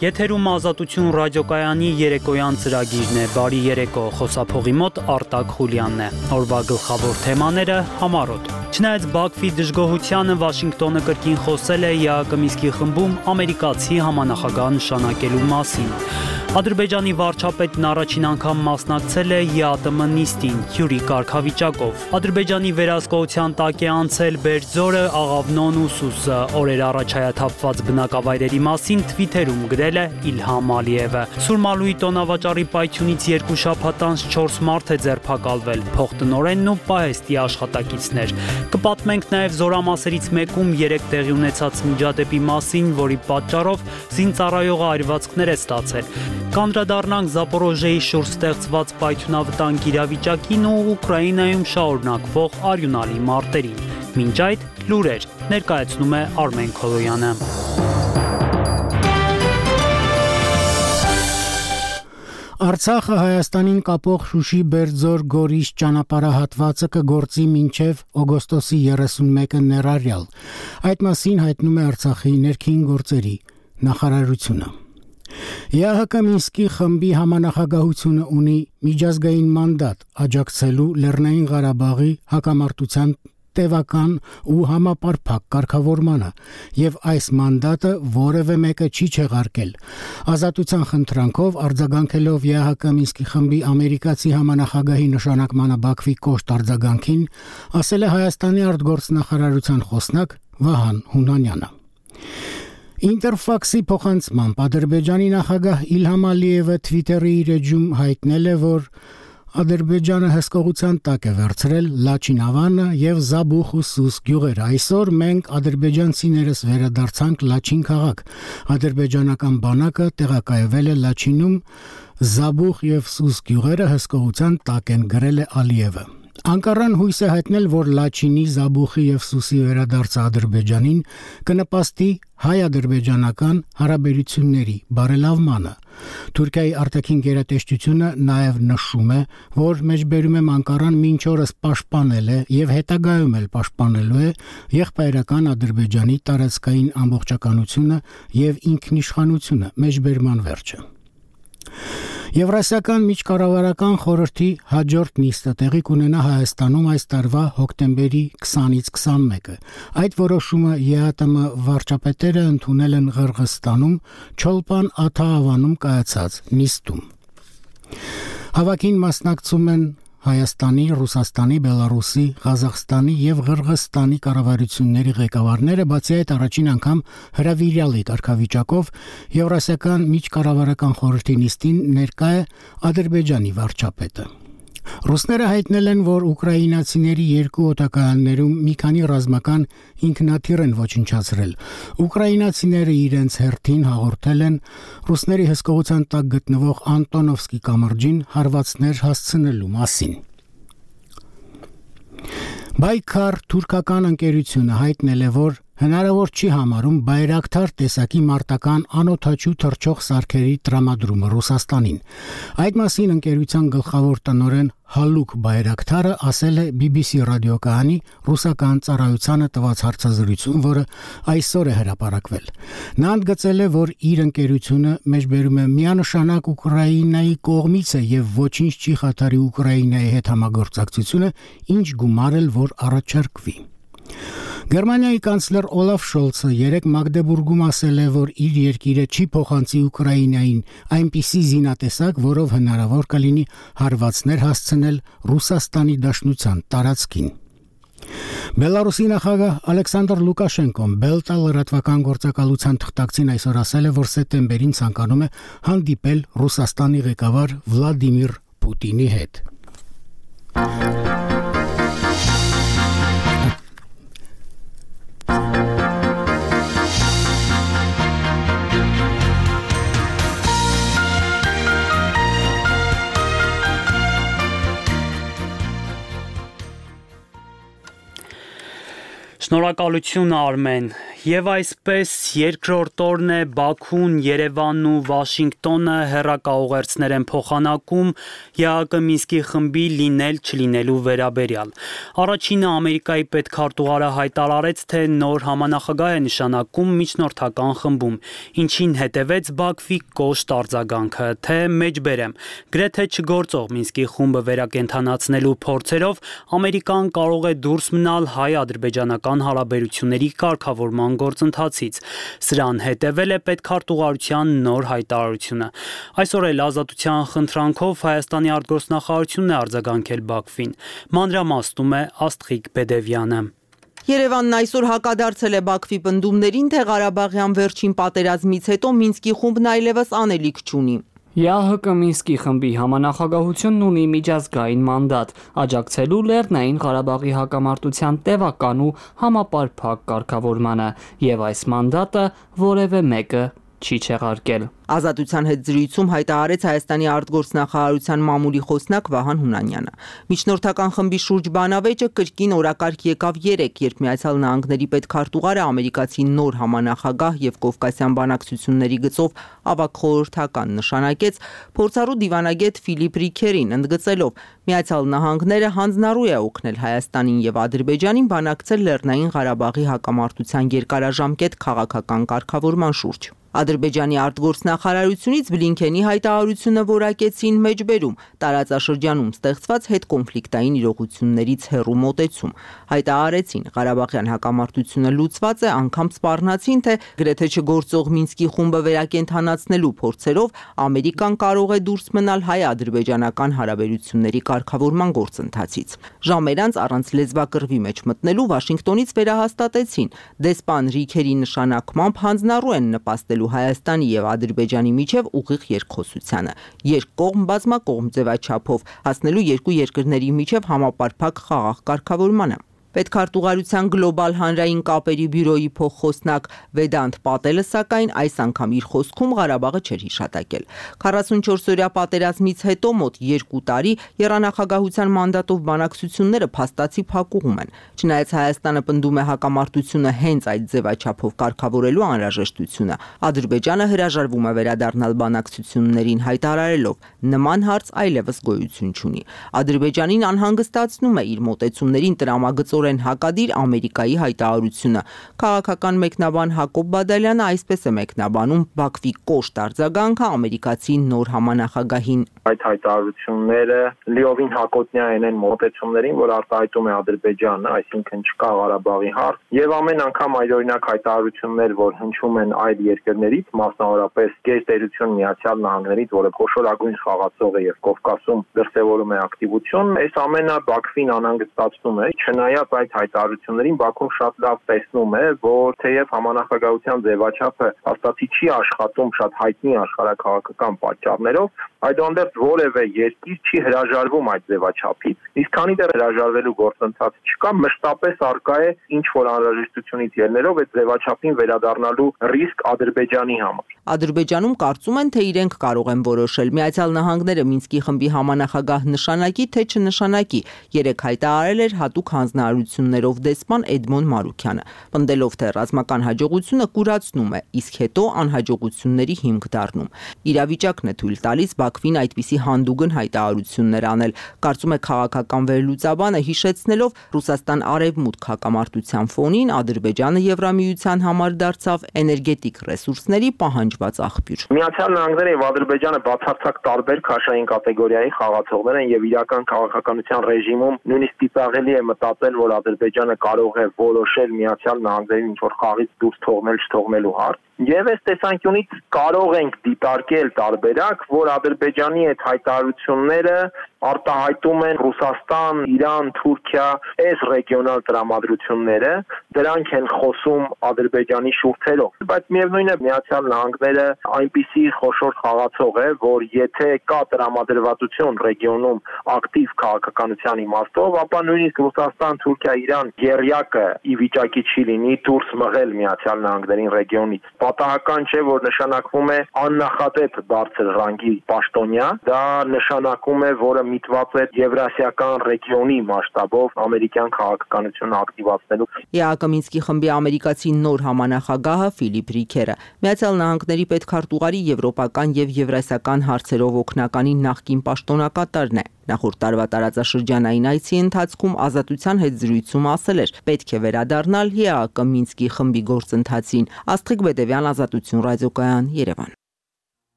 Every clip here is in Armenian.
Եթերում Ազատություն ռադիոկայանի երեկոյան ծրագիրն է, բարի երեկո, խոսափողի մոտ Արտակ Խուլյանն է, օրվա գլխավոր թեմաները համառոտ։ Չնայած Բաքվի դժգոհությանը Վաշինգտոնը կրկին խոսել է ԵԱՀԿ Մինսկի խմբում ամերիկացի համանախագահ նշանակելու մասին։ Ադրբեջանի վարչապետն առաջին անգամ մասնակցել է ԵԱՏՄ նիստին, հյուրի կարգավիճակով։ Ադրբեջանի վերահսկողության տակ է անցել Բերձորը, Աղավնոն ու Սուսը, օրեր առաջ հայաթափված բնակավայրերի մասին թվիթերում գրել է Իլհամ Ալիևը։ Սուրմալուի տոնավաճառի պայթյունից 2 շաբաթ անց 4 մարդ է ձերբակալվել, փոխտնօրենն ու պահեստի աշխատակիցներ։ Կպատմենք նաև զորամասերից մեկում 3 տեղի ունեցած միջադեպի մասին, որի պատճառով զինծառայողը այրվածքներ է ստացել։ Կանդրադառնանք Զապորոժեի շուրջ ստեղծված պայթյունավտանգ իրավիճակին ու Ուկրաինայում շարունակվող արյունալի մարտերին։ Մինչ այդ լուրեր ներկայացնում է Արմեն Քոլոյանը։ Արցախը Հայաստանին կապող Շուշի-Բերձոր-Գորիս ճանապարհահատվածը կգործի մինչև օգոստոսի 31-ը ներառյալ։ Այդ մասին հայտնում է Արցախի ներքին գործերի նախարարությունը։ ԵԱՀԿ Մինսկի խմբի համանախագահությունը ունի միջազգային մանդատ աջակցելու Լեռնային Ղարաբաղի հակամարտության տևական ու համապարփակ կարգավորմանը, եւ այս մանդատը որևէ մեկը չի չեղարկել։ Ազատության խնդրանքով արձագանքելով ԵԱՀԿ Մինսկի խմբի ամերիկացի համանախագահի նշանակմանը Բաքվի կոշտ արձագանքին, ասել է Հայաստանի արտգործնախարարության խոսնակ Վահան Հունանյանը։ Ինտերֆաքսի փոխանցմամբ Ադրբեջանի նախագահ Իլհամ Ալիևը Twitter-ի իր էջում հայտնել է, որ Ադրբեջանը հսկողության տակ է վերցրել Լաչինավանը եւ Զաբուխ ու Սուս գյուղերը։ Այսօր մենք ադրբեջանցիներս վերադարձանք Լաչին քաղաք։ Ադրբեջանական բանակը տեղակայվել է Լաչինում, Զաբուխ եւ Սուս գյուղերը հսկողության տակ են, գրել է Ալիևը։ Անկարան հույս է հայտնել, որ Լաչինի, Զաբուխի եւ Սուսի վերադարձը Ադրբեջանին կնպաստի հայ-ադրբեջանական հարաբերությունների բարելավմանը։ Թուրքիայի արտաքին գերատեսչությունը նաև նշում է, որ մեջբերում է Անկարան մինչ օրս պաշտպանել է եւ հետագայում էլ պաշտպանելու է եղբայրական Ադրբեջանի տարածքային ամբողջականությունը եւ ինքնիշխանությունը, մեջբերման վերջը։ Եվրասիական միջկառավարական խորհրդի հաջորդ նիստը տեղի կունենա Հայաստանում այս տարվա հոկտեմբերի 20-ից 21-ը։ Այդ որոշումը ԵԱՏՄ վարչապետերը ընդունել են Ղրղստանում Չոլպան Աթահավանում կայացած նիստում։ Հավաքին մասնակցում են Հայաստանի, Ռուսաստանի, Բելարուսի, Ղազախստանի եւ Ղրղստանի կառավարությունների ղեկավարները, բացի այդ առաջին անգամ հրավիրյալի կարգավիճակով Եվրասիական միջկառավարական խորհրդի նիստին ներկա է Ադրբեջանի վարչապետը։ Ռուսները հայտնել են, որ ուկրաինացիների 2 օտակայաններում մի քանի ռազմական ինքնաթիռ են ոչնչացրել։ Ուկրաինացիները իրենց հերթին հաղորդել են ռուսների հսկողության տակ գտնվող Անտոնովսկի կամրջին հարվածներ հասցնելու մասին։ Բայքար թուրքական ընկերությունը հայտնել է, որ հնարավոր չի համարում Բայրակթար տեսակի մարտական անօդաչու թռչող սարքերի տրամադրումը Ռուսաստանին։ Այդ մասին ընկերության գլխավոր տնօրեն Հալուկ Բայրակթարը ասել է BBC ռադիոկայանի ռուսական ծառայությանը տված հարցազրույցում, որը այսօր է հրապարակվել։ Նա ընդգծել է, որ իր ընկերությունը մեջբերում է միանշանակ Ուկրաինայի կողմից է եւ ոչինչ չի խաթարի Ուկրաինայի հետ համագործակցությունը, ինչ գումար էլ որ առաջարկվի։ Գերմանիայի կանցլեր Օլաֆ Շոլցը երեկ Մագդեբուրգում ասել է, որ իր երկիրը չի փոխանցի Ուկրաինային այնպիսի զինատեսակ, որով հնարավոր կլինի հարվածներ հասցնել Ռուսաստանի Դաշնության տարածքին։ Բելարուսի նախագահ Ալեքսանդր Լուկաշենկոն Բելտա լրատվական գործակալության թղթակցին այսօր ասել է, որ սեպտեմբերին ցանկանում է հանդիպել Ռուսաստանի ղեկավար Վլադիմիր Պուտինի հետ։ Շնորհակալություն Արմեն։ Եվ այսպես երկրորդ օրն է Բաքուն, Երևանն ու Վաշինգտոնը հեռակաուղերձներ են փոխանակում ԵԱՀԿ Մինսկի խմբի լինել-չլինելու վերաբերյալ։ Առաջինը Ամերիկայի պետքարտուղարը հայտարարեց, թե նոր համանախագահ է նշանակում միջնորդական խմբում, ինչին հետևեց Բաքվի կոշտ արձագանքը, թե մեջբերեմ, գրեթե չգործող Մինսկի խումբը վերակենդանացնելու փորձերով Ամերիկան կարող է դուրս մնալ հայ-ադրբեջանական հարաբերությունների կարգավորման գործընթացից։ Սրան հետևել է պետքարտուղարության նոր հայտարարությունը։ Այսօր էլ Ազատության խնդրանքով Հայաստանի արտգործնախարարությունն է արձագանքել Բաքվին։ Մանրամասնում է Աստղիկ Բեդևյանը։ Երևանն այսօր հակադարձել է Բաքվի պնդումներին, թե Ղարաբաղյան վերջին պատերազմից հետո Մինսկի խումբն այլևս անելիք չունի։ ԵԱՀԿ Մինսկի խմբի համանախագահությունն ունի միջազգային մանդատ աջակցելու Լեռնային Ղարաբաղի հակամարտության տևական ու համապարփակ կարգավորմանը, եւ այս մանդատը որևէ մեկը չի չեղարկել։ Ազատության հետ զրույցում հայտարարեց Հայաստանի արտգործնախարարության մամուլի խոսնակ Վահան Հունանյանը։ Միջնորդական խմբի շուրջ բանավեճը կրկին օրակարգ եկավ 3, երբ Միացյալ Նահանգների պետքարտուղարը ամերիկացի նոր համանախագահ եւ կովկասյան բանակցությունների գծով ավագ խորհրդական նշանակեց փորձառու դիվանագետ Ֆիլիպ Ռիքերին, ընդգծելով Միացյալ Նահանգները հանձնառու է օգնել Հայաստանին եւ Ադրբեջանին բանակցել Լեռնային Ղարաբաղի հակամարտության երկարաժամկետ քաղաքական կարգավորման շուրջ։ Ադրբեջանի արտգործնախարարությունից Բլինքենի հայտարարությունը որակեցին մեջբերում, տարածաշրջանում ստեղծված հետկոնֆլիկտային իրողություններից հեռու մոտեցում։ Հայտարարեցին, Ղարաբաղյան հակամարտությունը լուծված է, անգամ սպառնացին, թե գրեթե չգործող Մինսկի խումբը վերակենդանացնելու փորձերով Ամերիկան կարող է դուրս մնալ հայ-ադրբեջանական հարաբերությունների կարգավորման գործընթացից։ Ժամեր անց առանց լեզվակռվի մեջ մտնելու Վաշինգտոնից վերահաստատեցին, դեսպան Ռիքերի նշանակմամբ հանձնառու են նպաստել Հայաստանի եւ Ադրբեջանի միջև ուղիղ երկխոսությանը, երկկողմ բազմակողմ ձևաչափով հասնելու երկու երկրների միջև համապարփակ խաղաղ կարգավորմանը։ Պետքարտուղարության գլոբալ հանրային կապերի բյուրոյի փոխխոսնակ Վեդանտ Պատելը սակայն այս անգամ իր խոսքում Ղարաբաղը չէր հիշատակել։ 44-օրյա պատերազմից հետո մոտ 2 տարի եռանախագահության մանդատով բանակցությունները փաստացի փակուղում են։ Չնայած Հայաստանը պնդում է հակամարտությունը հենց այդ ձևաչափով կարգավորելու անհրաժեշտությունը, Ադրբեջանը հրաժարվում է վերադառնալ բանակցություններին, հայտարարելով նման հարց այլևս գոյություն չունի։ Ադրբեջանին անհանգստացնում է իր մոտեցումներին տրամագծորեն հակադիր Ամերիկայի հայտարարությունը։ Քաղաքական մեկնաբան Հակոբ Բադալյանը այսպես է մեկնաբանում Բաքվի կոշտ արձագանքը ամերիկացի նոր համանախագահին։ Այդ հայտարարությունները լիովին հակոտնյա են մոտեցումներին, որ արտահայտում է Ադրբեջանը, այսինքն չկա Ղարաբաղի հարց, եւ ամեն անգամ այդօրինակ հայտարարություններ, որ հնչում են այլ երկրներից, մասնավորապես գերտերություն Միացյալ Նահանգներից, որը խոշորագույն խաղացող է եւ Կովկասում դրսեւորում է ակտիվություն, այս ամենը Բաքվին անհանգստացնում է։ Չնայած այդ հայտարարություններին Բաքուն շատ լավ տեսնում է, որ թեև համանախագահության ձևաչափը հաստատի չի աշխատում շատ հայտնի աշխարհակաղակական պատճառներով, այդուհանդերձ որևէ երկիր չի հրաժարվում այդ ձևաչափից, իսկ քանի դեռ հրաժարվելու գործընթաց չկա, մշտապես արկա է ինչ որ անհրաժեշտությունից ելնելով այդ ձևաչափին վերադառնալու ռիսկ Ադրբեջանի համար։ Ադրբեջանում կարծում են, թե իրենք կարող են որոշել Միացյալ Նահանգները Մինսկի խմբի համանախագահ նշանակի, թե չնշանակի, երեք հայտարարել էր հատուկ հանձնարարություններով դեսպան Էդմոն Մարուքյանը, պնդելով, թե ռազմական հաջողությունը կուրացնում է, իսկ հետո անհաջողությունների հիմք դառնում։ Իրավիճակն է թույլ տալիս Բաքվին այդպիսի հանդուգն հայտարարություններ անել, կարծում է քաղաքական վերլուծաբանը, հիշեցնելով Ռուսաստան-Արևմուտք հակամարտության ֆոնին Ադրբեջանը Եվրամիության համար դարձավ էներգետիկ ռեսուրսների պահանջված աղբյուր։ Միացյալ Նահանգները եւ Ադրբեջանը բացարձակ տարբեր քաշային կատեգորիայի խաղացողներ են եւ իրական քաղաքականության ռեժիմում նույնիսկ ծիծաղելի է մտածել, որ Ադրբեջանը կարող է որոշել Միացյալ Նահանգներին ինչ-որ խաղից դուրս թողնել չթողնելու հարց։ Եվ այս տեսանկյունից կարող ենք դիտարկել տարբերակ, որ Ադրբեջանի այդ հայտարարությունները արտահայտում են Ռուսաստան, Իրան, Թուրքիա, այս ռեգիոնալ տրամադրությունները, դրանք են խոսում Ադրբեջանի շուրթերով։ Բայց միևնույն է Միացյալ Նահանգները այնպիսի խոշոր խաղացող է, որ եթե կա տրամադրվածություն ռեգիոնում ակտիվ քաղաքականության իմաստով, ապա նույնիսկ Ռուսաստան, Թուրքիա, Իրան եռյակը ի վիճակի չի լինի դուրս մղել Միացյալ Նահանգներին ռեգիոնից։ Պատահական չէ, որ նշանակվում է աննախադեպ բարձր ռանգի պաշտոնյա, դա նշանակում է, որը միտված էր եվրասիական ռեգիոնի մասշտաբով ամերիկյան քաղաքականությունը ակտիվացնելու։ ԵԱԿ Մինսկի խմբի ամերիկացի նոր համանախագահը Ֆիլիպ Ռիքերը Միացյալ Նահանգների պետքարտուղարի եվրոպական եւ եվրասիական հարցերով օգնականի նախկին պաշտոնակատարն է։ Նախորդ տարվա տարածաշրջանային այցի ընթացքում Ազատության հետ զրույցում ասել էր. պետք է վերադառնալ ԵԱԿ Մինսկի խմբի գործընթացին։ Աստղիկ Բեդևյան, Ազատություն ռադիոկայան, Երևան։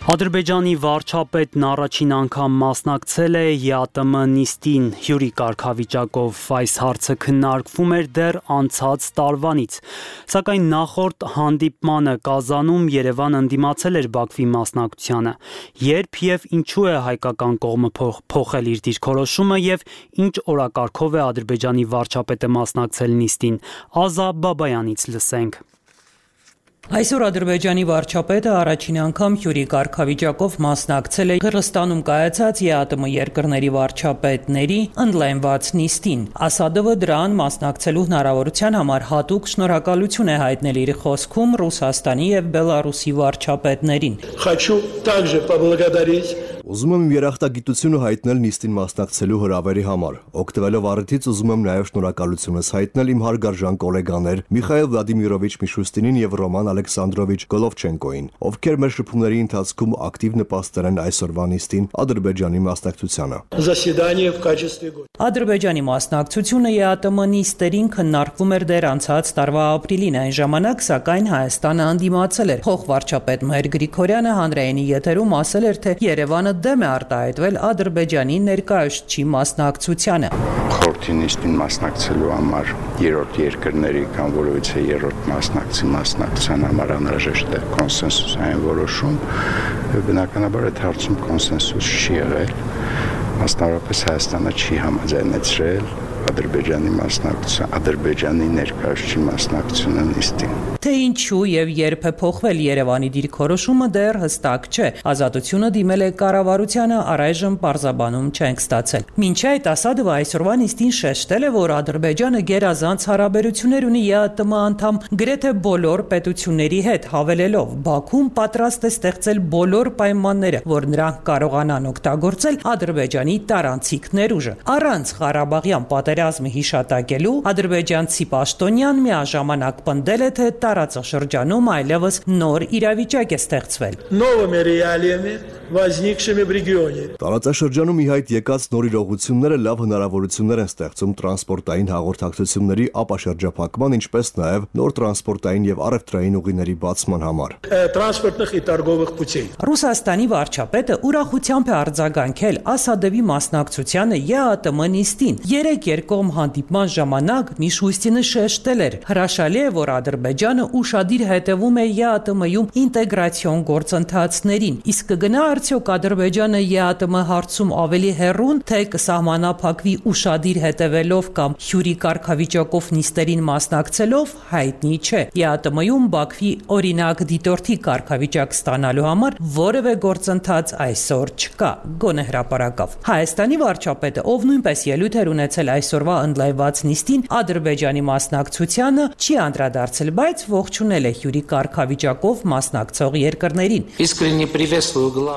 Ադրբեջանի վարչապետն առաջին անգամ մասնակցել է ԵԱՏՄ նիստին հյուրի կարգավիճակով։ Այս հարցը քննարկվում էր դեռ անցած տարվանից։ Սակայն նախորդ հանդիպմանը Կազանում Երևանը ընդդիմացել էր Բաքվի մասնակցությանը։ Երբ եւ ինչու է հայկական կողմը փոխել իր դիրքորոշումը եւ ինչ օրակարգով է Ադրբեջանի վարչապետը մասնակցել նիստին, Ազա Բաբայանից լսենք։ Այսօր Ադրբեջանի վարչապետը առաջին անգամ հյուրի կարգավիճակով մասնակցել է Կրղստանում կայացած ԵԱՏՄ երկրների վարչապետների ընդլայնված նիստին։ Ասադովը դրան մասնակցելու հնարավորության համար հատուկ շնորհակալություն է հայտնել իր խոսքում Ռուսաստանի եւ Բելարուսի վարչապետներին։ Хочу также поблагодарить Ուզում եմ երախտագիտությունը հայտնել նիստին մասնակցելու հրավերի համար։ Օգտվելով առիթից ուզում եմ նաև շնորհակալությունս հայտնել իմ հարգարժան գոլեգաներ Միխայել Վլադիմիրովիչ Միշուստինին եւ Ռոման Ալեքսանդրովիչ Գոլովչենկոին, ովքեր մեր շփումների ընթացքում ակտիվ նպաստել են այսօրվա նիստին Ադրբեջանի մասնակցությանը։ Ադրբեջանի մասնակցությունը ԵԱՏՄ նիստերին քննարկվում էր դեռ անցած տարվա ապրիլին, այն ժամանակ սակայն Հայաստանը ընդդիմացել էր։ Փոխվարչապետ Մհեր Գրիգորյանը հանրայինի եթերում ասել էր, թե Երևանը դեմ է արտահայտվել Ադրբեջանի ներկայացուցչի մասնակցությանը։ Խորհրդի նիստին մասնակցելու համար երրորդ երկրների կամ որևիցե երրորդ մասնակցության համար անհրաժեշտ է կոնսենսուսային որոշում, բնականաբար այդ հարցում կոնսենսուս չի եղել, մասնավորապես Հայաստանը չի համաձայնեցրել Ադրբեջանի ներկայացուցչի մասնակցությունը նիստին։ Թե ինչու եւ երբ է փոխվել Երևանի դիրքորոշումը դեռ հստակ չէ։ Ազատությունը դիմել է կառավարությանը, առայժմ պարզաբանում չենք ստացել։ Մինչ այդ Ասադովը այսօրվա նիստին շեշտել է, որ Ադրբեջանը գերազանց հարաբերություններ ունի ԵԱՏՄ անդամ գրեթե բոլոր պետությունների հետ, հավելելով Բաքուն պատրաստ է ստեղծել բոլոր պայմանները, որ նրանք կարողանան օգտագործել Ադրբեջանի տարանցիկ ներուժը։ Առանց Ղարաբաղյան պատերազմի հիշատակելու ադրբեջանցի պաշտոնյան միաժամանակ պնդել է, թե տարածաշրջանում այլևս նոր իրավիճակ է ստեղծվել։ Տարածաշրջանում ի հայտ եկած նոր իրողությունները լավ հնարավորություններ են ստեղծում տրանսպորտային հաղորդակցությունների ապաշրջափակման, ինչպես նաև նոր տրանսպորտային եւ առևտրային ուղիների բացման համար։ Ռուսաստանի վարչապետը ուրախությամբ է արձագանքել Ասադովի մասնակցությանը ԵԱՏՄ նիստին։ Երեք երկկողմ հանդիպման ժամանակ Միշուստինը շեշտել էր. հրաշալի է, որ Ադրբեջանը ուշադիր հետևում է ԵԱՏՄ-ում ինտեգրացիոն գործընթացներին, իսկ կգնա արդյոք Ադրբեջանը ԵԱՏՄ հարցում ավելի հեռուն, թե կսահմանափակվի ուշադիր հետևելով կամ հյուրի կարգավիճակով նիստերին մասնակցելով, հայտնի չէ։ ԵԱՏՄ-ում Բաքվի օրինակ դիտորդի կարգավիճակ ստանալու համար որևէ գործընթաց այսօր չկա, գոնե հրապարակավ։ Հայաստանի վարչապետը, ով նույնպես ելույթ էր ունեցել այսօրվա ընդլայնված նիստին, Ադրբեջանի մասնակցությանը չի անդրադարձել, բայց ողջունել է հյուրի կարգավիճակով մասնակցող երկրներին։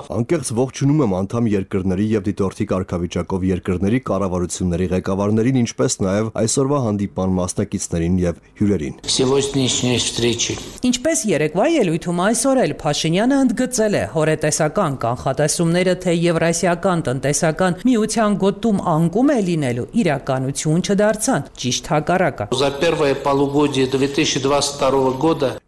Անկեղծ ողջունում եմ անդամ երկրների եւ դիտորդի կարգավիճակով երկրների կառավարությունների ղեկավարներին, ինչպես նաեւ այսօրվա հանդիպման մասնակիցներին եւ հյուրերին։ Ինչպես երեկվա ելույթում այսօր էլ Փաշինյանը ընդգծել է հորետեսական կանխատեսումները, թե Եվրասիական տնտեսական միության գոտում անկում է լինելու, իրականություն չդարձան, ճիշտ հակառակը։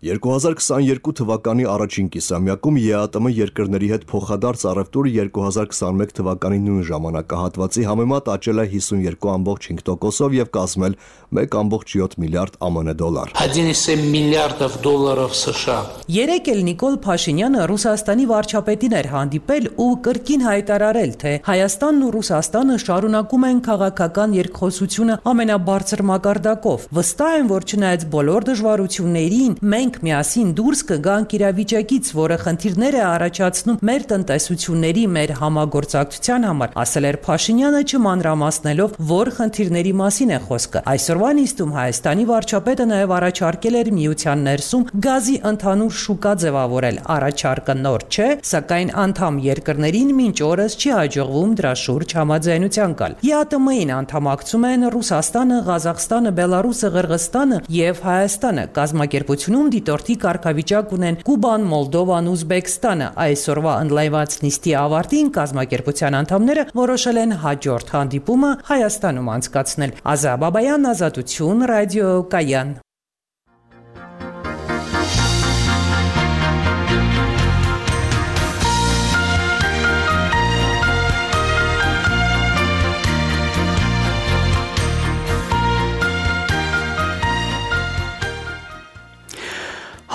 2022 թվականի առաջին կիսամյակում ԵԱՏՄ երկրների հետ փոխադարձ առևտուրը 2021 թվականի նույն ժամանակահատվածի համեմատ աճել է 52.5%-ով եւ կազմել 1.7 միլիարդ ԱՄՆ դոլար։ 1,7 միլիարդов долларов США։ Երեկ էլ Նիկոլ Փաշինյանը Ռուսաստանի վարչապետին էր հանդիպել ու կրկին հայտարարել, թե Հայաստանն ու Ռուսաստանը շարունակում են քաղաքական երկխոսությունը ամենաբարձր մակարդակով։ Վստահ եմ, որ չնայած բոլոր դժվարություններին, մենք միասին դուրս կգանք իրավիճակից, որը խնդիրներ է առաջացնում մեր տնտեսությունների, մեր համագործակցության համար, ասել էր Փաշինյանը, չմանրամասնելով, որ խնդիրների մասին է խոսքը։ Այսօրվա նիստում Հայաստանի վարչապետը նաև առաջարկել էր միության ներսում գազի ընդհանուր շուկա ձևավորել։ Առաջարկը նոր չէ, սակայն անդամ երկրներին մինչ օրս չի հաջողվում դրա շուրջ համաձայնության գալ։ ԵԱՏՄ-ին անդամակցում են Ռուսաստանը, Ղազախստանը, Բելարուսը, Ղրղըզստանը եւ Հայաստանը։ Կազմակերպությունում դիտորդի կարգավիճակ ունեն Կուբան, Մոլդովան, Ուզբեկստանը։ Այսօրվա ընդլայնված նիստի ավարտին կազմակերպության անդամները որոշել են հաջորդ հանդիպումը Հայաստանում անցկացնել։ Ազա Բաբայան, Ազատություն, Ռադիո Կայան։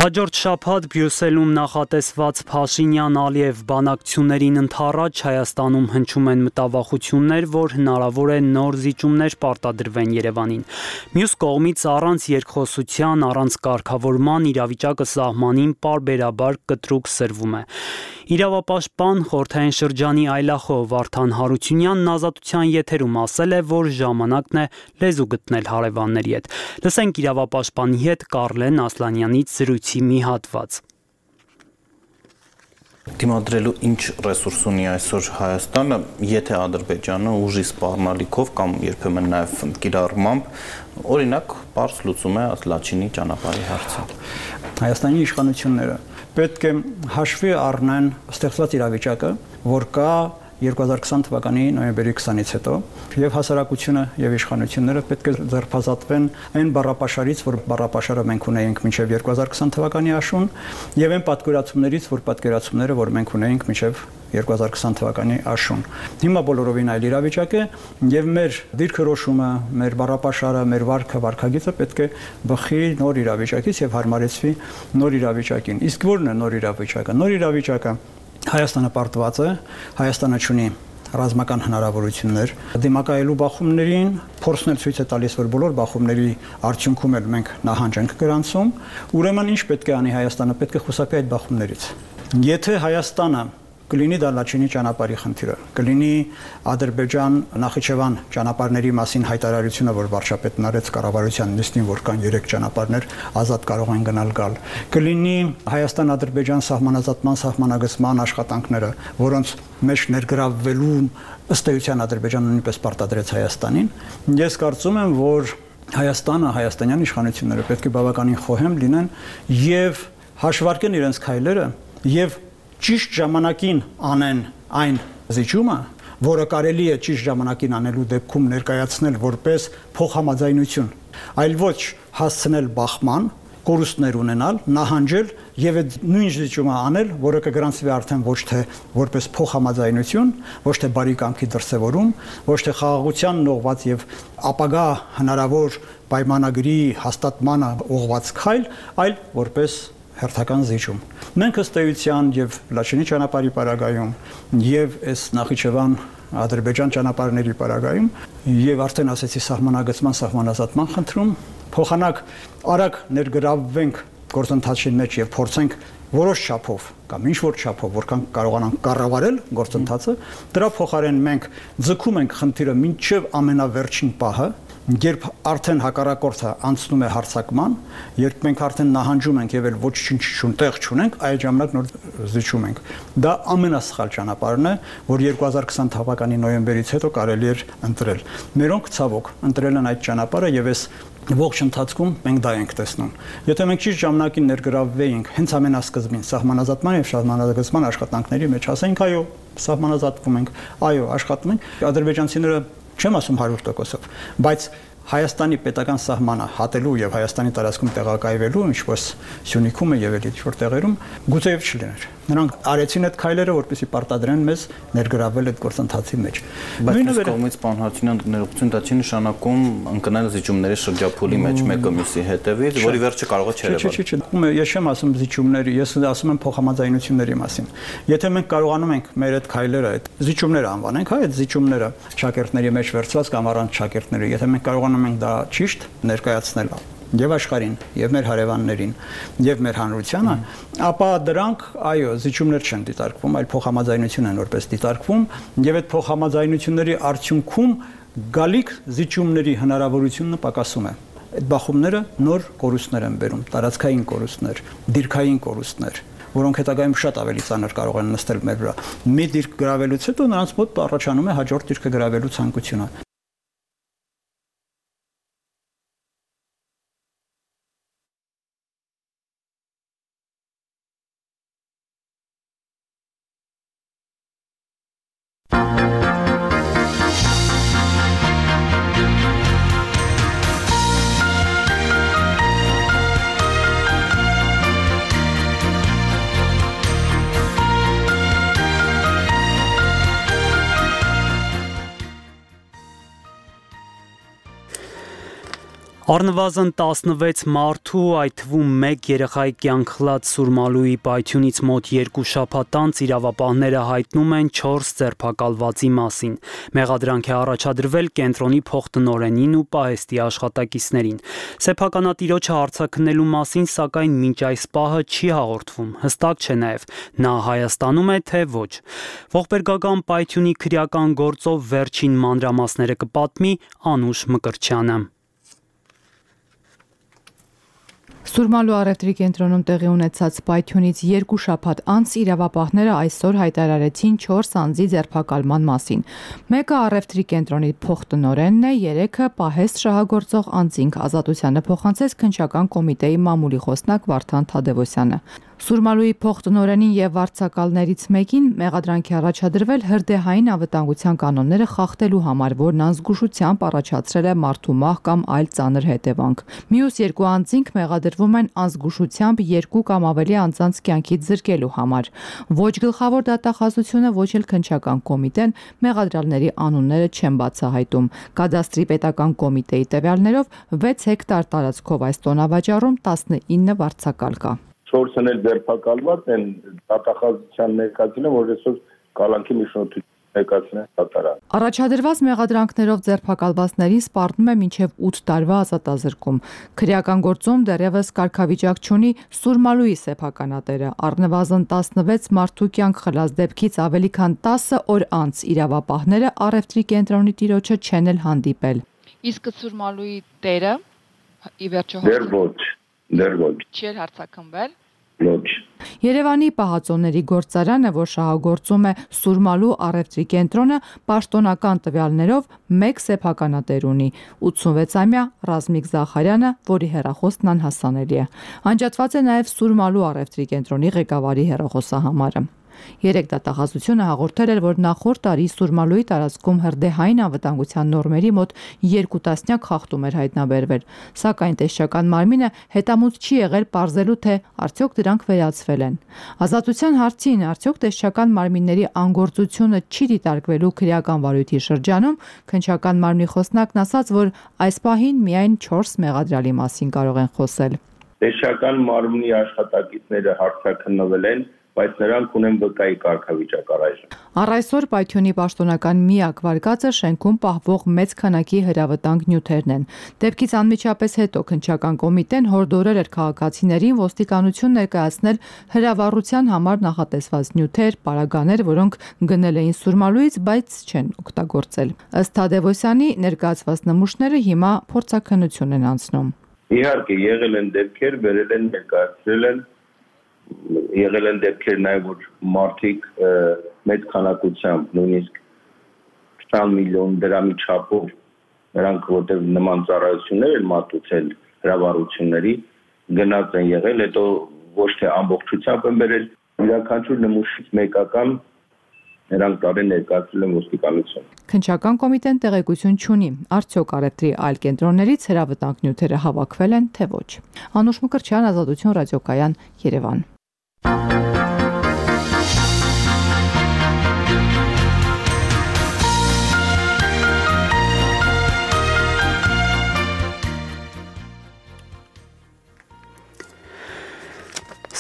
Հաջորդ շաբաթ Բրյուսելում նախատեսված Փաշինյան-Ալիև բանակցություններին ընդառաջ Հայաստանում հնչում են մտավախություններ, որ հնարավոր է նոր զիջումներ պարտադրվեն Երևանին։ Մյուս կողմից առանց երկխոսության, առանց կարգավորման իրավիճակը սահմանին պարբերաբար կտրուկ սրվում է։ Իրավապաշտպան խորհրդային շրջանի այլախոհ Վարդան Հարությունյանն Ազատության եթերում ասել է, որ ժամանակն է լեզու գտնել հարևանների հետ։ Լսենք իրավապաշտպանի հետ Կարլեն Ասլանյանից զրույցի մի հատված։ Դիմադրելու ինչ ռեսուրս ունի այսօր Հայաստանը, եթե Ադրբեջանը ուժի սպառնալիքով կամ երբեմն նաև կիրառմամբ, օրինակ, պարզ լուծում է Լաչինի ճանապարհի հարցը։ Հայաստանի իշխանությունները պետք է հաշվի առնեն ստեղծված իրավիճակը, որ կա 2020 թվականի նոյեմբերի 20-ից հետո եւ հասարակությունը եւ իշխանությունները պետք է ձերբազատվեն այն բառապաշարից, որ բառապաշարը մենք ունեինք մինչեւ 2020 թվականի աշուն եւ այն պատկերացումներից, որ պատկերացումները, որ մենք ունեինք մինչեւ 2020 թվականի աշուն։ Հիմա բոլորովին այլ իրավիճակ է եւ մեր դիրքորոշումը, մեր բառապաշարը, մեր վարքագիծը պետք է բխի նոր իրավիճակից եւ հարմարեցվի նոր իրավիճակին։ Իսկ ո՞րն է նոր իրավիճակը։ Նոր իրավիճակը Հայաստանը պարտված է, Հայաստանը ունի ռազմական հնարավորություններ դիմակայելու բախումներին, փորձն էլ ցույց է տալիս, որ բոլոր բախումների արդյունքում էլ մենք նահանջ ենք գրանցում, ուրեմն ինչ պետք է անի Հայաստանը, պետք է խուսափի այդ բախումներից։ Եթե Հայաստանը կլինի դա Լաչինի ճանապարհի խնդիրը, կլինի Ադրբեջան-Նախիջևան ճանապարհների մասին հայտարարությունը, որ վարչապետն արեց կառավարության նիստին, որ կան 3 ճանապարհներ, ազատ կարող են գնալ գալ, կլինի Հայաստան-Ադրբեջան սահմանազատման սահմանագծման աշխատանքները, որոնց մեջ ներգրավվելու ըստ էության Ադրբեջանը նույնպես պարտադրեց Հայաստանին։ Ես կարծում եմ, որ Հայաստանը, հայաստանյան իշխանությունները պետք է բավականին խոհեմ լինեն եւ հաշվարկեն իրենց քայլերը եւ ճիշտ ժամանակին անեն այն զիջումը, որը կարելի է ճիշտ ժամանակին անելու դեպքում ներկայացնել որպես փոխհամաձայնություն, այլ ոչ հասցնել բախման, կորուստներ ունենալ, նահանջել եւ այդ նույն զիջումը անել, որը կգրանցվի արդեն ոչ թե որպես փոխհամաձայնություն, ոչ թե բարի կամքի դրսևորում, ոչ թե խաղաղության ուղղված եւ ապագա հնարավոր պայմանագրի հաստատմանը ուղղված քայլ, այլ որպես հերթական զիջում։ Մենք ըստ էության եւ Լաչինի ճանապարհի պարագայում եւ այս Նախիջևան Ադրբեջան ճանապարհների պարագայում եւ արդեն ասեցի սահմանագծման սահմանազատման խնդրում փոխանակ արագ ներգրավվենք գործընթացի մեջ եւ փորձենք որոշ չափով կամ ինչ որ չափով որքան կարողանանք կառավարել գործընթացը, դրա փոխարեն մենք ձգում ենք խնդիրը մինչեւ ամենավերջին պահը, երբ արդեն հակառակորդը անցնում է հարձակման, երբ մենք արդեն նահանջում ենք եւ էլ ոչինչ տեղ չունենք, այդ ժամանակ նոր զիջում ենք։ Դա ամենասխալ ճանապարհն է, որ 2020 թվականի նոյեմբերից հետո կարելի էր ընտրել։ Մերոնք ցավոք ընտրել են այդ ճանապարհը եւ այս ողջ ընթացքում մենք դա ենք տեսնում։ Եթե մենք ճիշտ ժամանակին ներգրավվեինք հենց ամենասկզբին սահմանազատման եւ սահմանազատման աշխատանքների մեջ, ասենք այո, սահմանազատվում ենք, այո, աշխատում ենք, ադրբեջանցիները չեմ ասում 100%-ով, բայց Հայաստանի պետական սահմանը հատելու եւ Հայաստանի տարածքում տեղակայվելու, ինչպես Սյունիքում եւ այլ ինչ որ տեղերում, գուցեև չլիներ։ Նրանք արեցին այդ քայլերը, որպեսզի պարտադրեն մեզ ներգրավել այդ գործընթացի մեջ։ Բայց կողմից պարոն Հարությունյան ներողություն դա չի նշանակում ընկնել զիջումների շրջափուլի մեջ մեկը մյուսի հետևից, որի վերջը կարող է չերևալ։ Ես չեմ ասում զիջումների, ես ասում եմ փոխհամաձայնությունների մասին։ Եթե մենք կարողանում ենք մեր այդ քայլերը, այդ զիջումները անվանենք, հա, այդ զիջումները շակերտների մեջ վերցված կամ առանց շակերտների, եթե մենք կարողանում ենք դա ճիշտ ներկայացնել եւ աշխարհին, եւ մեր հարևաններին, եւ մեր հանրությանը, ապա դրանք, այո, զիջումներ չեն դիտարկվում, այլ փոխհամաձայնություն են որպես դիտարկվում, եւ այդ փոխհամաձայնությունների արդյունքում գալիք զիջումների հնարավորությունը պակասում է։ Այդ բախումները նոր կորուստներ են բերում, տարածքային կորուստներ, դիրքային կորուստներ, որոնք հետագայում շատ ավելի ծանր կարող են նստել մեր վրա։ Մի դիրք գրավելուց հետո նրանց մոտ առաջանում է հաջորդ դիրքը գրավելու ցանկությունը։ Առնվազն 16 մարդու, այդ թվում 1 երեխայի կյանք խլած Սուրմալուի պայթյունից մոտ 2 շաբաթ անց իրավապահները հայտնում են 4 ձերբակալվածի մասին։ Մեղադրանք է առաջադրվել կենտրոնի փոխտնօրենին ու պահեստի աշխատակիցներին։ Սեփականատիրոջը արձագանքելու մասին, սակայն մինչ այս պահը չի հաղորդվում։ Հստակ չէ նաև նա Հայաստանում է, թե ոչ։ Ողբերգական պայթյունի քրեական գործով վերջին մանրամասները կպատմի Անուշ Մկրտչյանը։ Սուրմալու առևտրի կենտրոնում տեղի ունեցած պայթյունից 2 շաբաթ անց իրավապահները այսօր հայտարարեցին 4 անձի ձերբակալման մասին։ Մեկը առևտրի կենտրոնի փոխտնօրենն է, 3-ը պահեստ շահագործող անձինք, ազատությանը փոխանցեց քննչական կոմիտեի մամուլի խոսնակ Վարդան Թադևոսյանը։ Սուրմալուի փոխտնօրենին եւ վարձակալներից մեկին մեղադրանք է առաջադրվել հրդեհային անվտանգության կանոնները խախտելու համար, որն անզգուշությամբ առաջացրել է մարդու մահ կամ այլ ծանր հետևանք։ Մյուս 2 անձինք մեղադրվում են անզգուշությամբ 2 կամ ավելի անձանց կյանքից զրկելու համար։ Ոչ գլխավոր դատախազությունը, ոչ էլ քննչական կոմիտեն մեղադրյալների անունները չեն բացահայտում։ Կադաստրի պետական կոմիտեի տվյալներով 6 հեկտար տարածքով այս տոնավաճառում 19 վարձակալ կա։ 4-ն էլ ձերբակալված են, դատախազության ներկայացին, որ այսօր կալանքի միջնորդություն ներկայացնեն դատարան։ Առաջադրված մեղադրանքներով ձերբակալվածներին սպառնում է մինչև 8 տարվա ազատազրկում։ Քրեական գործում դեռևս կարգավիճակ չունի Սուրմալուի սեփականատերը։ Առնվազն 16 մարդու կյանք խլած դեպքից ավելի քան 10 օր անց իրավապահները առևտրի կենտրոնի տիրոջը չեն էլ հանդիպել։ Իսկ Սուրմալուի տերը ի վերջո դեռ ոչ չի հարցակնվել։ Ոչ։ Երևանի պահածոների գործարանը, որ շահագործում է Սուրմալու առևտրի կենտրոնը, պաշտոնական տվյալներով 1 սեփականատեր ունի՝ 86-ամյա Ռազմիկ Զախարյանը, որի հեռախոսն անհասանելի է։ Անջատված է նաև Սուրմալու առևտրի կենտրոնի ղեկավարի հեռախոսահամարը։ 3 դատախազությունը հաղորդել էր, որ նախորդ տարի Սուրմալուի տարածքում հրդեհային անվտանգության նորմերի մոտ 2 տասնյակ խախտում էր հայտնաբերվել, սակայն տեսչական մարմինը հետամուտ չի եղել պարզելու, թե արդյոք դրանք վերացվել են։ Ազատության հարցին, արդյոք տեսչական մարմինների անգործությունը չի դիտարկվելու քրեական վարույթի շրջանում, քննչական մարմնի խոսնակն ասաց, որ այս պահին միայն 4 մեղադրյալի մասին կարող են խոսել։ Տեսչական մարմնի աշխատակիցները հարցաքննվել են, բայց նրանք ունեն վկայի կարգավիճակ առայժմ։ Առ այսօր պայթյունի պաշտոնական միակ վարկածը շենքում պահվող մեծ քանակի հրավտանգ նյութերն են։ Դեպքից անմիջապես հետո քննչական կոմիտեն հորդորել էր քաղաքացիներին ոստիկանություն ներկայացնել հրավառության համար նախատեսված նյութեր, պարագաներ, որոնք գնել էին Սուրմալուից, բայց չեն օգտագործել։ Ըստ Թադևոսյանի ներկայացված նմուշները հիմա փորձաքննություն են անցնում։ Իհարկե եղել են դեպքեր, վերել են, ներկայացրել են, եղել են դեպքեր նաև, որ մարդիկ մեծ քանակությամբ, նույնիսկ 20 միլիոն դրամի չափով, նրանք որտեղ նման ծառայություններ են մատուցել հրավառությունների, գնաց են եղել, հետո ոչ թե ամբողջությամբ են բերել, յուրաքանչյուր նմուշից մեկական նրանք տարեն ներկայացրել են ոստիկանություն։ Քննչական կոմիտեն տեղեկություն չունի, արդյոք առևտրի այլ կենտրոններից հրավտանգ նյութերը հավաքվել են, թե ոչ։ Անուշ Մկրտչյան, Ազատություն ռադիոկայան, Երևան։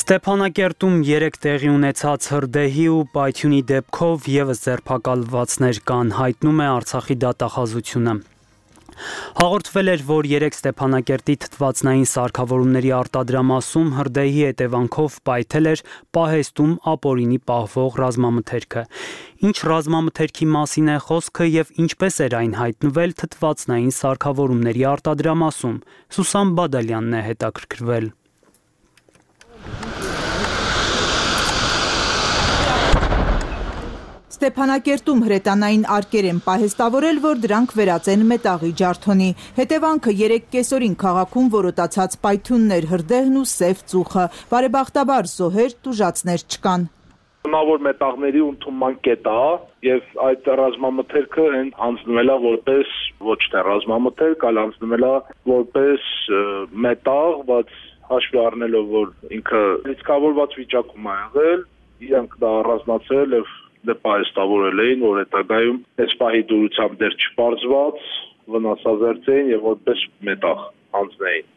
Ստեփանակերտում 3 տեղի ունեցած հրդեհի ու պայթյունի դեպքով եւս ձերբակալվածներ կան, հայտնում է Արցախի դատախազությունը։ Հաղորդվել էր, որ 3 Ստեփանակերտի թթվածնային սարքավորումների արտադրամասում հրդեհի հետևանքով պայթել էր պահեստում ապօրինի պահվող ռազմամթերքը։ Ինչ ռազմամթերքի մասին է խոսքը եւ ինչպես էր այն հայտնվել թթվածնային սարքավորումների արտադրամասում։ Սուսան Բադալյանն է հետաքրքրվել։ Ստեփանակերտում հրետանային արկեր են պահեստավորել, որ դրանք վերածեն մետաղի ջարդոնի։ Հետևանքը 3 կեսօրին քաղաքում որոտացած պայթյուններ, հրդեհն ու սև ծուխը։ Բարեբախտաբար զոհեր, տուժածներ չկան։ Որ մետաղների ընդունման կետ է եւ այդ ռազմամթերքը հանձնվել է որպես ոչ թե ռազմամթերք, այլ հանձնվել է որպես մետաղ, բայց հաշվի առնելով որ ինքը լիցքավորված վիճակում է եղել, իրանք դա առանձնացրել եւ պահեստավորել էին, որ հետագայում այս պահի դուրությամբ դեռ չպարզված վնասազերծ եւ որպես մետաղ հանձնեին։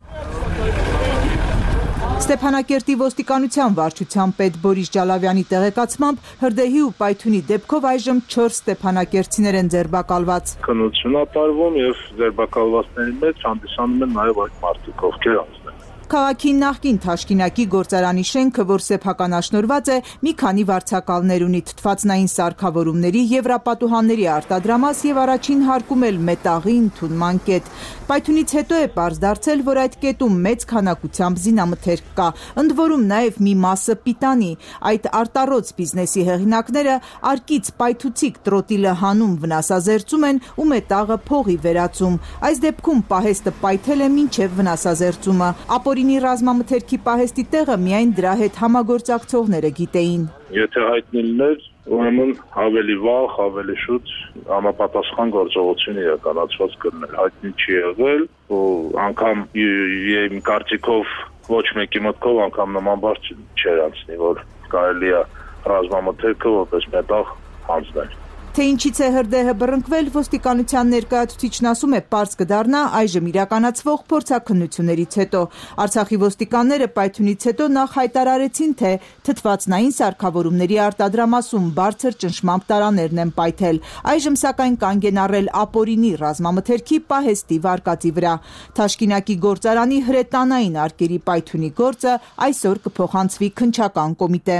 Ստեփանակերտի ոստիկանության վարչության պետ Բորիս Ջալավյանի տեղեկացմամբ հրդեհի ու պայթյունի դեպքով այժմ 4 ստեփանակերտցիներ են ձերբակալված։ Քննություն է տարվում եւ ձերբակալվածների մեջ հանդիսանում են նաեւ այդ մարդիկ, ովքեր հանձնել։ Քաղաքի նախկին Թաշկինակի գործարանի շենքը, որ սեփականաշնորհված է, մի քանի վարձակալներ ունի, թթվածնային սարքավորումների, եվրապատուհանների արտադրամաս եւ առաջին հարկում էլ մետաղի ընդունման կետ։ Պայթյունից հետո է պարզ դարձել, որ այդ կետում մեծ քանակությամբ զինամթերք կա, ընդ որում նաեւ մի մասը պիտանի։ Այդ արտառոց բիզնեսի հեղինակները արկից պայթուցիկ տրոտիլը հանում վնասազերծում են ու մետաղը փողի վերածում։ Այս դեպքում պահեստը պայթել է մինչեւ վնասազերծումը։ Ապօրինի ռազմամթերքի պահեստի տեղը միայն դրա հետ համագործակցողները գիտեին։ Եթե հայտնի լիներ, ուրեմն ավելի վաղ, ավելի շուտ համապատասխան գործողություն իրականացված կլիներ, հայտնի չի եղել, ու անգամ իմ կարծիքով ոչ մեկի մտքով անգամ նման բան չէր անցնի, որ կարելի է ռազմամթերքը որպես մետաղ հանձնել։ Թե ինչից է հրդեհը բռնկվել, ոստիկանության ներկայացուցիչն ասում է, պարզ կդառնա այժմ իրականացվող փորձաքննություններից հետո։ Արցախի ոստիկանները պայթյունից հետո նախ հայտարարեցին, թե թթվածնային սարքավորումների արտադրամասում բարձր ճնշմամբ տարաներն են պայթել։ Այժմ սակայն կանգ են առել ապօրինի ռազմամթերքի պահեստի վարկածի վրա։ Թաշկինակի գործարանի հրետանային արկերի պայթյունի գործը այսօր կփոխանցվի քննչական կոմիտե։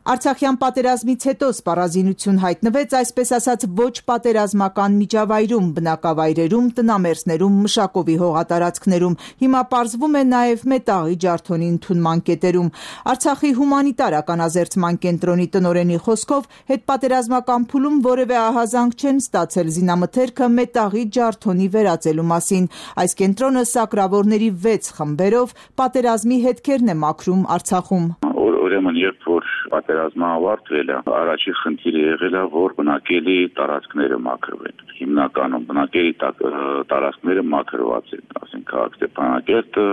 Արցախյան պատերազմից հետո սպառազինություն հայտնվեց այսպես ասած ոչ պատերազմական միջավայրում, բնակավայրերում, տնամերձներում, մշակովի հողատարածքներում։ Հիմա պարզվում է նաև մետաղի ջարդոնի ընդունման կետերում։ Արցախի հումանիտար ականազերծման կենտրոնի տնօրենի խոսքով հետպատերազմական փուլում որևէ ահազանգ չեն ստացել զինամթերքը մետաղի ջարդոնի վերածելու մասին։ Այս կենտրոնը սակրավորների 6 խմբերով պատերազմի հետքերն է մաքրում Արցախում։ Ուրեմն երբ որ պատերազմը ավարտվել է, առաջին խնդիրը եղել է, որ բնակելի տարածքները մաքրվեն։ Հիմնականում բնակելի տարածքները մաքրված են, ասենք քաղաք Ստեփանակերտը,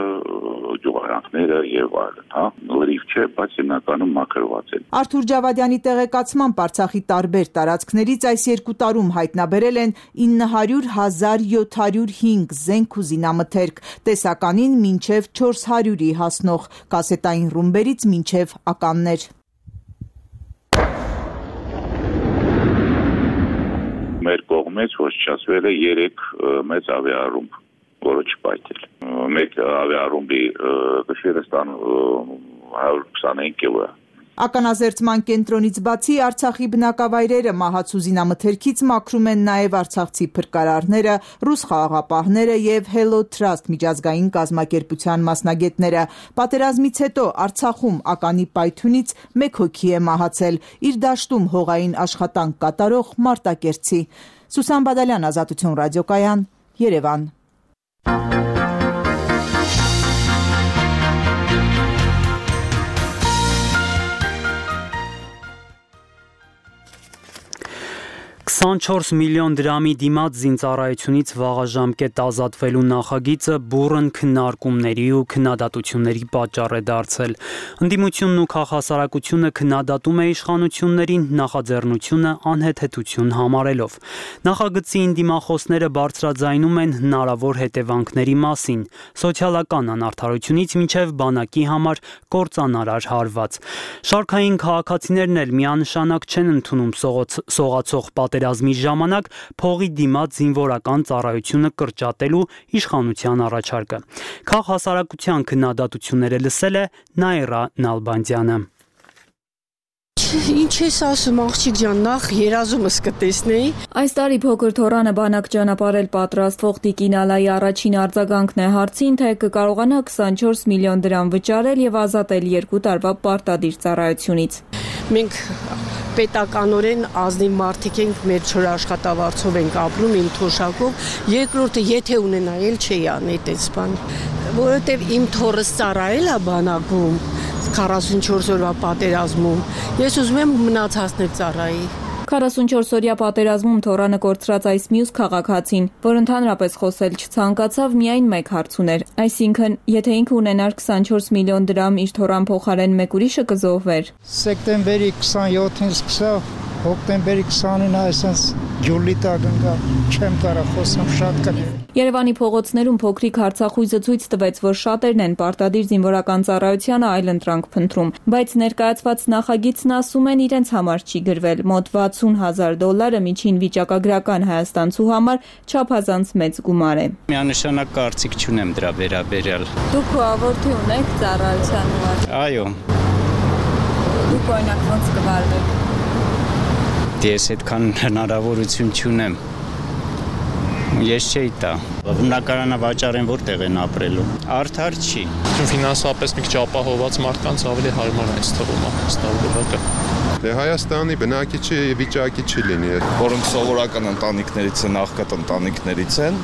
գյուղարանքները եւ այլն, հա, լրիվ չէ, բայց հիմնականում մաքրված են։ Արթուր Ջավադյանի տեղեկացմամբ Արցախի տարբեր տարածքներից այս 2 տարում հայտնաբերել են 900,705 զենք ու զինամթերք, տեսականին մինչև 400-ի հասնող, կասետային ռումբերից մինչև ականներ։ Մեր կողմից ոչնչացվել է 3 մեծ ավիառումբ, որը չպայթել։ Մեկ ավիառումբի գշերը ստանում 125 կգ։ Ականազերծման կենտրոնից բացի Արցախի բնակավայրերը մահացու զինամթերքից մաքրում են նաև արցախցի փրկարարները, ռուս խաղաղապահները եւ Hello Trust միջազգային կազմակերպության մասնագետները։ Պատերազմից հետո Արցախում ականի պայթյունից 1 հոգի է մահացել, իր դաշտում հողային աշխատանք կատարող մարտակերտցի։ Սուսան Բադալյան, Ազատություն ռադիոկայան, Երևան։ 24 միլիոն դրամի դիմաց զինծառայությունից վաղաժամկետ ազատվելու նախագիծը բուռն քննարկումների ու քննադատությունների պատճառ է դարձել։ Ընդդիմությունն ու քաղաքասարակությունը քննադատում է իշխանություններին նախաձեռնությունը անհեթեթություն համարելով։ Նախագծի ընդդիմախոսները բարձրաձայնում են հնարավոր հետևանքների մասին՝ սոցիալական անարդարությունից մինչև բանակի համար կործանարար հարված։ Շարքային քաղաքացիներն էլ միանշանակ չեն ընդունում սողացող պատերազմի ժամանակ փողի դիմաց զինվորական ծառայությունը կրճատելու իշխանության առաջարկը։ Քաղաքասարակության քննադատությունները լսել է Նաիրա Նալբանդյանը։ Ինչ ես ասում աղջիկ ջան, նախ երազումս կտեսնեի։ Այս տարի փոքր թորանը բանակ ճանապարհել պատրաստվող Տիկին Ալայի առաջին արձագանքն է հարցին, թե կկարողանա 24 միլիոն դրամ վճարել եւ ազատել 2 տարվա պարտադիր ծառայությունից։ Մենք պետականորեն ազնիվ մարդիկ ենք, մեր չոր աշխատավարձով ենք ապրում, իմ թոշակով։ Երկրորդը, եթե ունենայել չէի անել այդպես բան, որովհետեւ իմ թորս ծառայել է բանակում 44 օրվա պատերազմում։ Ես ուզում եմ մնացածներ ծառայի։ 44-օրյա պատերազմում թորանը կորցրած այս մյուս քաղաքացին, որ ընդհանրապես խոսել չցանկացավ, միայն մեկ հարց ուներ, այսինքն, եթե ինքը ունենար 24 միլիոն դրամ իր թորան փոխարեն մեկ ուրիշը կզոհվեր։ Սեպտեմբերի 27-ին սկսավ, հոկտեմբերի 29-ը այսպես ջուլի տակ ընկա, չեմ կարող խոսամ, շատ կներ։ Երևանի փողոցներում փոքրիկ հարցախույզը ցույց տվեց, որ շատերն են պարտադիր զինվորական ծառայությանը այլընտրանք փնտրում, բայց ներկայացված նախագիծն ասում են իրենց համար չի գրվել, մոտ $60,000 միջին վիճակագրական հայաստանցու համար չափազանց մեծ գումար է։ Միանշանակ կարծիք չունեմ դրա վերաբերյալ։ Դուք որդի ունեք ծառայության համար։ Այո։ Դուք օրինակ ոնց կվարվեք։ Ես այդքան հնարավորություն չունեմ։ Ես չէի տա։ Բնակարանը վաճառեն որտեղ են ապրելու։ Արդար չի։ Ֆինանսապես մի քիչ ապահովված մարդկանց ավելի հարմար է այս թվում ստավորակը։ Հայաստանի բնակիչի վիճակի չի լինի։ Որոնք սովորական ընտանիքներից են, աղքատ ընտանիքներից են,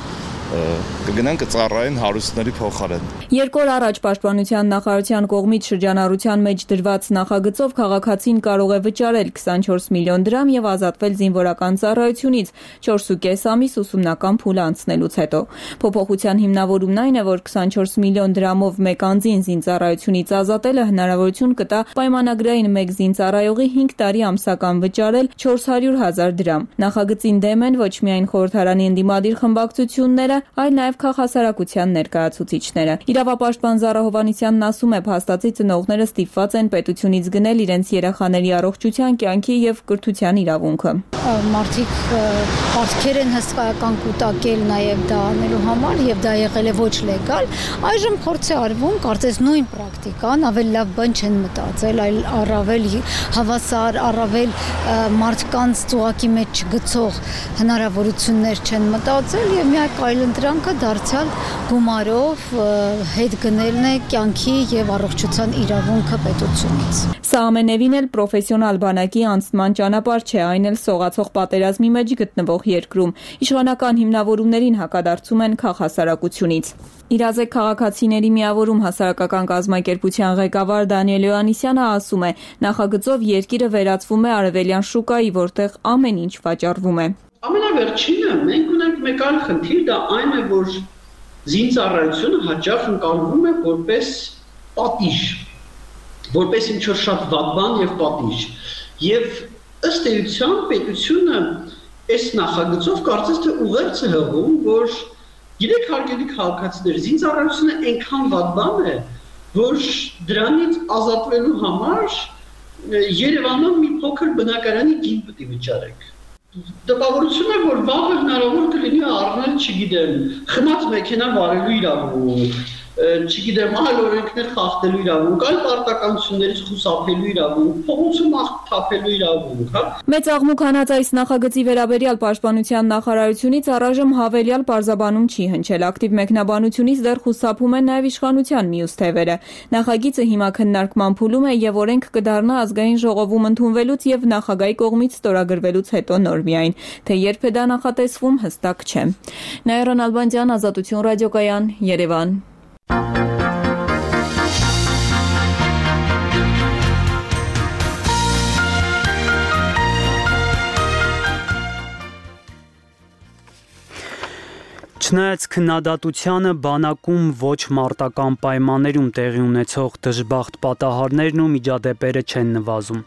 կգնան կծառայեն հարուստների փոխարեն։ Երկու օր առաջ Պաշտպանության նախարարության կողմից շրջանառության մեջ դրված նախագծով քաղաքացին կարող է վճարել 24 միլիոն դրամ եւ ազատվել զինվորական ծառայությունից 4.5 ամիս ուսումնական փուլ անցնելուց հետո։ Փոփոխության հիմնավորումն այն է, որ 24 միլիոն դրամով մեկ անձին զինծառայությունից ազատելը հնարավորություն կտա պայմանագրային մեկ զինծառայողի 5 տարի ամսական վճարել 400,000 դրամ։ Նախագծին դեմ են ոչ միայն խորհրդարանի ընդդիմադիր խմբակցությունները, այլ նաև քաղաքասարակության ներկայացուցիչները։ Իրավապաշտպան Զարա Հովհաննիսյանն ասում է, փաստացի ծնողները ստիպված են պետությունից գնել իրենց երեխաների առողջության, կյանքի եւ կրթության իրավունքը։ Մարդիկ պատկեր են հսկայական կուտակել նաև դա անելու համար եւ դա եղել է ոչ լեգալ։ Այժմ փորձ է արվում, կարծես նույն պրակտիկան, ավելի լավ բան չեն մտածել, այլ առավել հավասար, առավել մարդկանց ծուղակի մեջ չգցող հնարավորություններ չեն մտածել եւ միակ այլընտրանքը դարձյալ գումարով հետ գնելն է կյանքի եւ առողջության իրավունքը պետությունից։ Սա ամենևին էլ պրոֆեսիոնալ բանակի անցման ճանապարհ չէ, այն էլ սողացող պատերազմի մեջ գտնվող երկրում։ Իշխանական հիմնավորումներին հակադարձում են քաղաքասարակությունից։ Իրազեկ քաղաքացիների միավորում հասարակական կազմակերպության ղեկավար Դանիել Յոհաննիսյանը ասում է, նախագծով երկիրը վերածվում է արևելյան շուկայի, որտեղ ամեն ինչ վաճառվում է։ Ամենավերջինը մենք ունենք մեկ այլ խնդիր, դա այն է, որ զինծառայությունը հաճախ ընկալվում է որպես պատիժ, որպես ինչ-որ շատ վատ բան եւ պատիժ։ Եվ ըստ էության պետությունը այս նախագծով կարծես թե ուղերձ է հղում, որ գիտեք հարգելի քաղաքացիներ, զինծառայությունը այնքան վատ բան է, որ դրանից ազատվելու համար Երևանում մի փոքր բնակարանի գին պետք է վճարեք։ Տպավորություն է, որ վաղը հնարավոր կլինի առնել, չգիտեմ, խմած մեքենա վարելու իրավունք, չգիտեմ, այլ օրենքներ խախտելու իրավունք, այլ պարտականություններից խուսափելու իրավունք, փողոցում թափելու իրավունք, հա։ Մեծ աղմուկ հանած այս նախագծի վերաբերյալ Պաշտպանության նախարարությունից առայժմ հավելյալ պարզաբանում չի հնչել։ Ակտիվ մեկնաբանությունից դեռ խուսափում են նաև իշխանության մյուս թևերը։ Նախագիծը հիմա քննարկման փուլում է եւ օրենք կդառնա ազգային ժողովում ընդունվելուց եւ նախագահի կողմից ստորագրվելուց հետո նոր միայն, թե երբ է դա նախատեսվում, հստակ չէ։ Նաիրա Նալբանդյան, Ազատություն ռադիոկայան, Երևան։ Չնայած քննադատությանը բանակում ոչ մարտական պայմաններում տեղի ունեցող դժբախտ պատահարներն ու միջադեպերը չեն նվազում։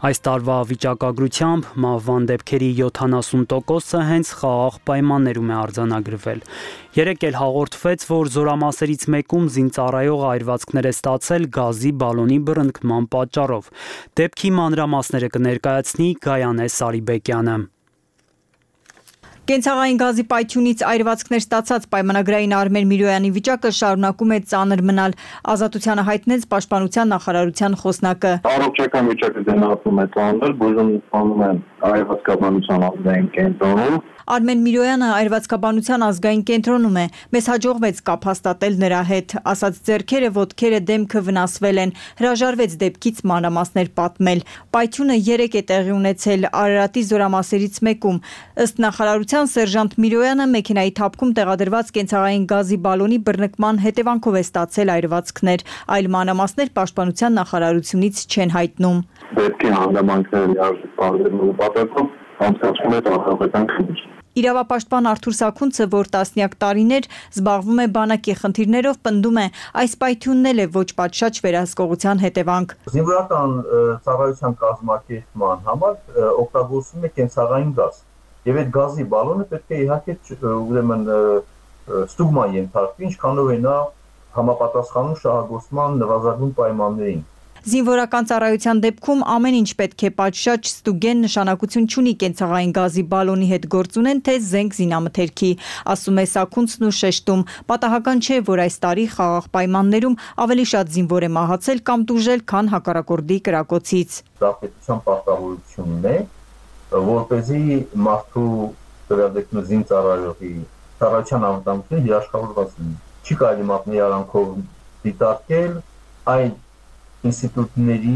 Այս տարվա վիճակագրությամբ մահվան դեպքերի 70%-ը հենց խաղաղ պայմաններում է արձանագրվել։ Երեկ էլ հաղորդվեց, որ զորամասերից մեկում զինծառայող այրվածքներ է ստացել գազի բալոնի բռնկման պատճառով։ Դեպքի մանրամասները կներկայացնի Գայանե Սարիբեկյանը։ Կենցաղային գազի պայթյունից այրվածքներ ստացած պայմանագրային Արմեն Միրոյանի վիճակը շարունակում է ծանր մնալ։ Ազատությանը հայտնեց Պաշտպանության նախարարության խոսնակը։ Առողջական վիճակը գնահատվում է ծանր, բուժում ստանում են այրվածքաբանության ազգային կենտրոնում։ Արմեն Միրոյանը այրվածքաբանության ազգային կենտրոնում է։ Մեզ հաջողվեց կապ հաստատել նրա հետ, ասաց ձեռքերը, ոտքերը, դեմքը վնասվել են։ Հրաժարվեց դեպքից մանրամասներ պատմել։ Պայթյունը երեկ է տեղի ունեցել Արարատի զորամասերից մեկում։ Ըստ նախարարության սերժանտ Միրոյանը մեքենայի թափքում տեղադրված կենցաղային գազի բալոնի բռնկման հետևանքով է ստացել այրվածքներ։ Այլ մանրամասներ Պաշտպանության նախարարությունից չեն հայտնում։ Դեպքի հանգամանքները լիարժեք բարձրացնելու նպատակով անցկացվում է տարածական քննություն։ Իրավապաշտպան Արթուր Սաքունցը, որ տասնյակ տարիներ զբաղվում է բանակի խնդիրներով, պնդում է, այս պայթյունն էլ է ոչ պատշաճ վերահսկողության հետևանք։ Զինվորական ծառայության կազմակերպման համար օգտագործվում է կենցաղային գազ, եւ այդ գազի բալոնը պետք է իհարկե ուրեմն ստուգման ենթարկվի, ինչքանով է նա համապատասխանում շահագործման նվազագույն պայմաններին։ Զինվորական ծառայության դեպքում ամեն ինչ պետք է պատշաճ ստուգեն, նշանակություն չունի կենցաղային գազի բալոնի հետ գործ ունեն, թե զենք զինամթերքի, ասում է Սաքունցն ու շեշտում։ Պատահական չէ, որ այս տարի խաղաղ պայմաններում ավելի շատ զինվոր է մահացել կամ տուժել, քան հակառակորդի կրակոցից։ Դա պետության պարտավորությունն է, որպեսզի մարդու դեպքում զինծառայողի ծառայության անվտանգությունը երաշխավորված լինի։ Չի կարելի մատնի արանքով դիտարկել այն ինստիտուտների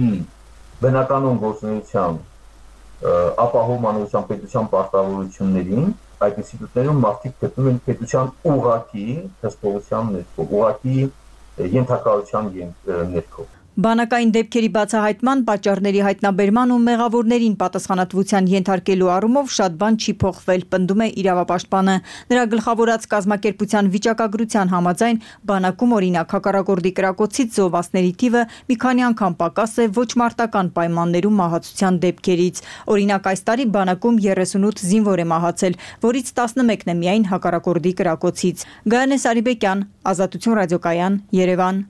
բնականոն գործունեության ապահովման պետության պարտավորություններին, այդ ինստիտուտներում մարդիկ գտնում են պետության ուղղակի հսկողության ներքո, ուղղակի ենթակայության ներքո։ Բանակային դեպքերի բացահայտման, պատճառների հայտնաբերման ու մեղավորներին պատասխանատվության ենթարկելու առումով շատ բան չի փոխվել, պնդում է իրավապաշտպանը։ Նրա գլխավորած կազմակերպության վիճակագրության համաձայն բանակում օրինակ հակառակորդի կրակոցից զոհվածների թիվը մի քանի անգամ պակաս է ոչ մարտական պայմաններում մահացության դեպքերից։ Օրինակ այս տարի բանակում 38 զինվոր է մահացել, որից 11-ն է միայն հակառակորդի կրակոցից։ Գայանե Սարիբեկյան, Ազատություն ռադիոկայան, Երևան։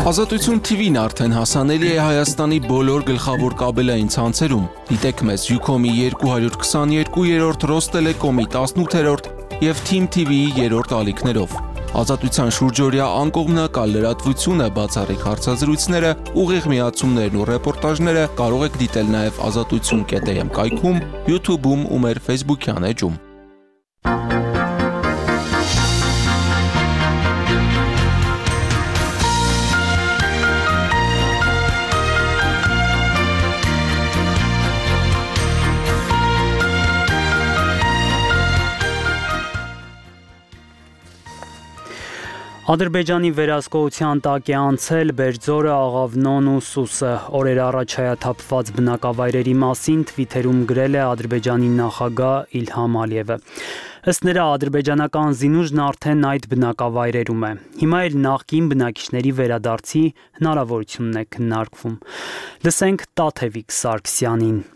Ազատություն TV-ն արդեն հասանելի է Հայաստանի բոլոր գլխավոր կաբելային ցանցերում։ Դիտեք մեզ Ucom-ի 222-րդ, Ռոստելեկոմի 18-րդ եւ Team TV-ի 3-րդ ալիքներով։ Ազատության շուրջօրյա անկողմնակալ լրատվությունը, բացառիկ հարցազրույցները, ուղիղ միացումներն ու ռեպորտաժները կարող եք դիտել նաեւ azatutsun.am կայքում, YouTube-ում ու մեր Facebook-յան էջում։ Ադրբեջանի վերահսկողության տակ է անցել Բերձորը, Աղավնոն ու Սուսը։ Օրեր առաջ հայաթափված բնակավայրերի մասին Twitter-ում գրել է Ադրբեջանի նախագահ Իլհամ Ալիևը։ Ըստ նրա, ադրբեջանական զինուժն արդեն այդ բնակավայրերում է։ Հիմա էլ նախկին բնակիչների վերադարձի հնարավորությունն է քննարկվում։ Լսենք Տաթևիկ Սարգսյանին։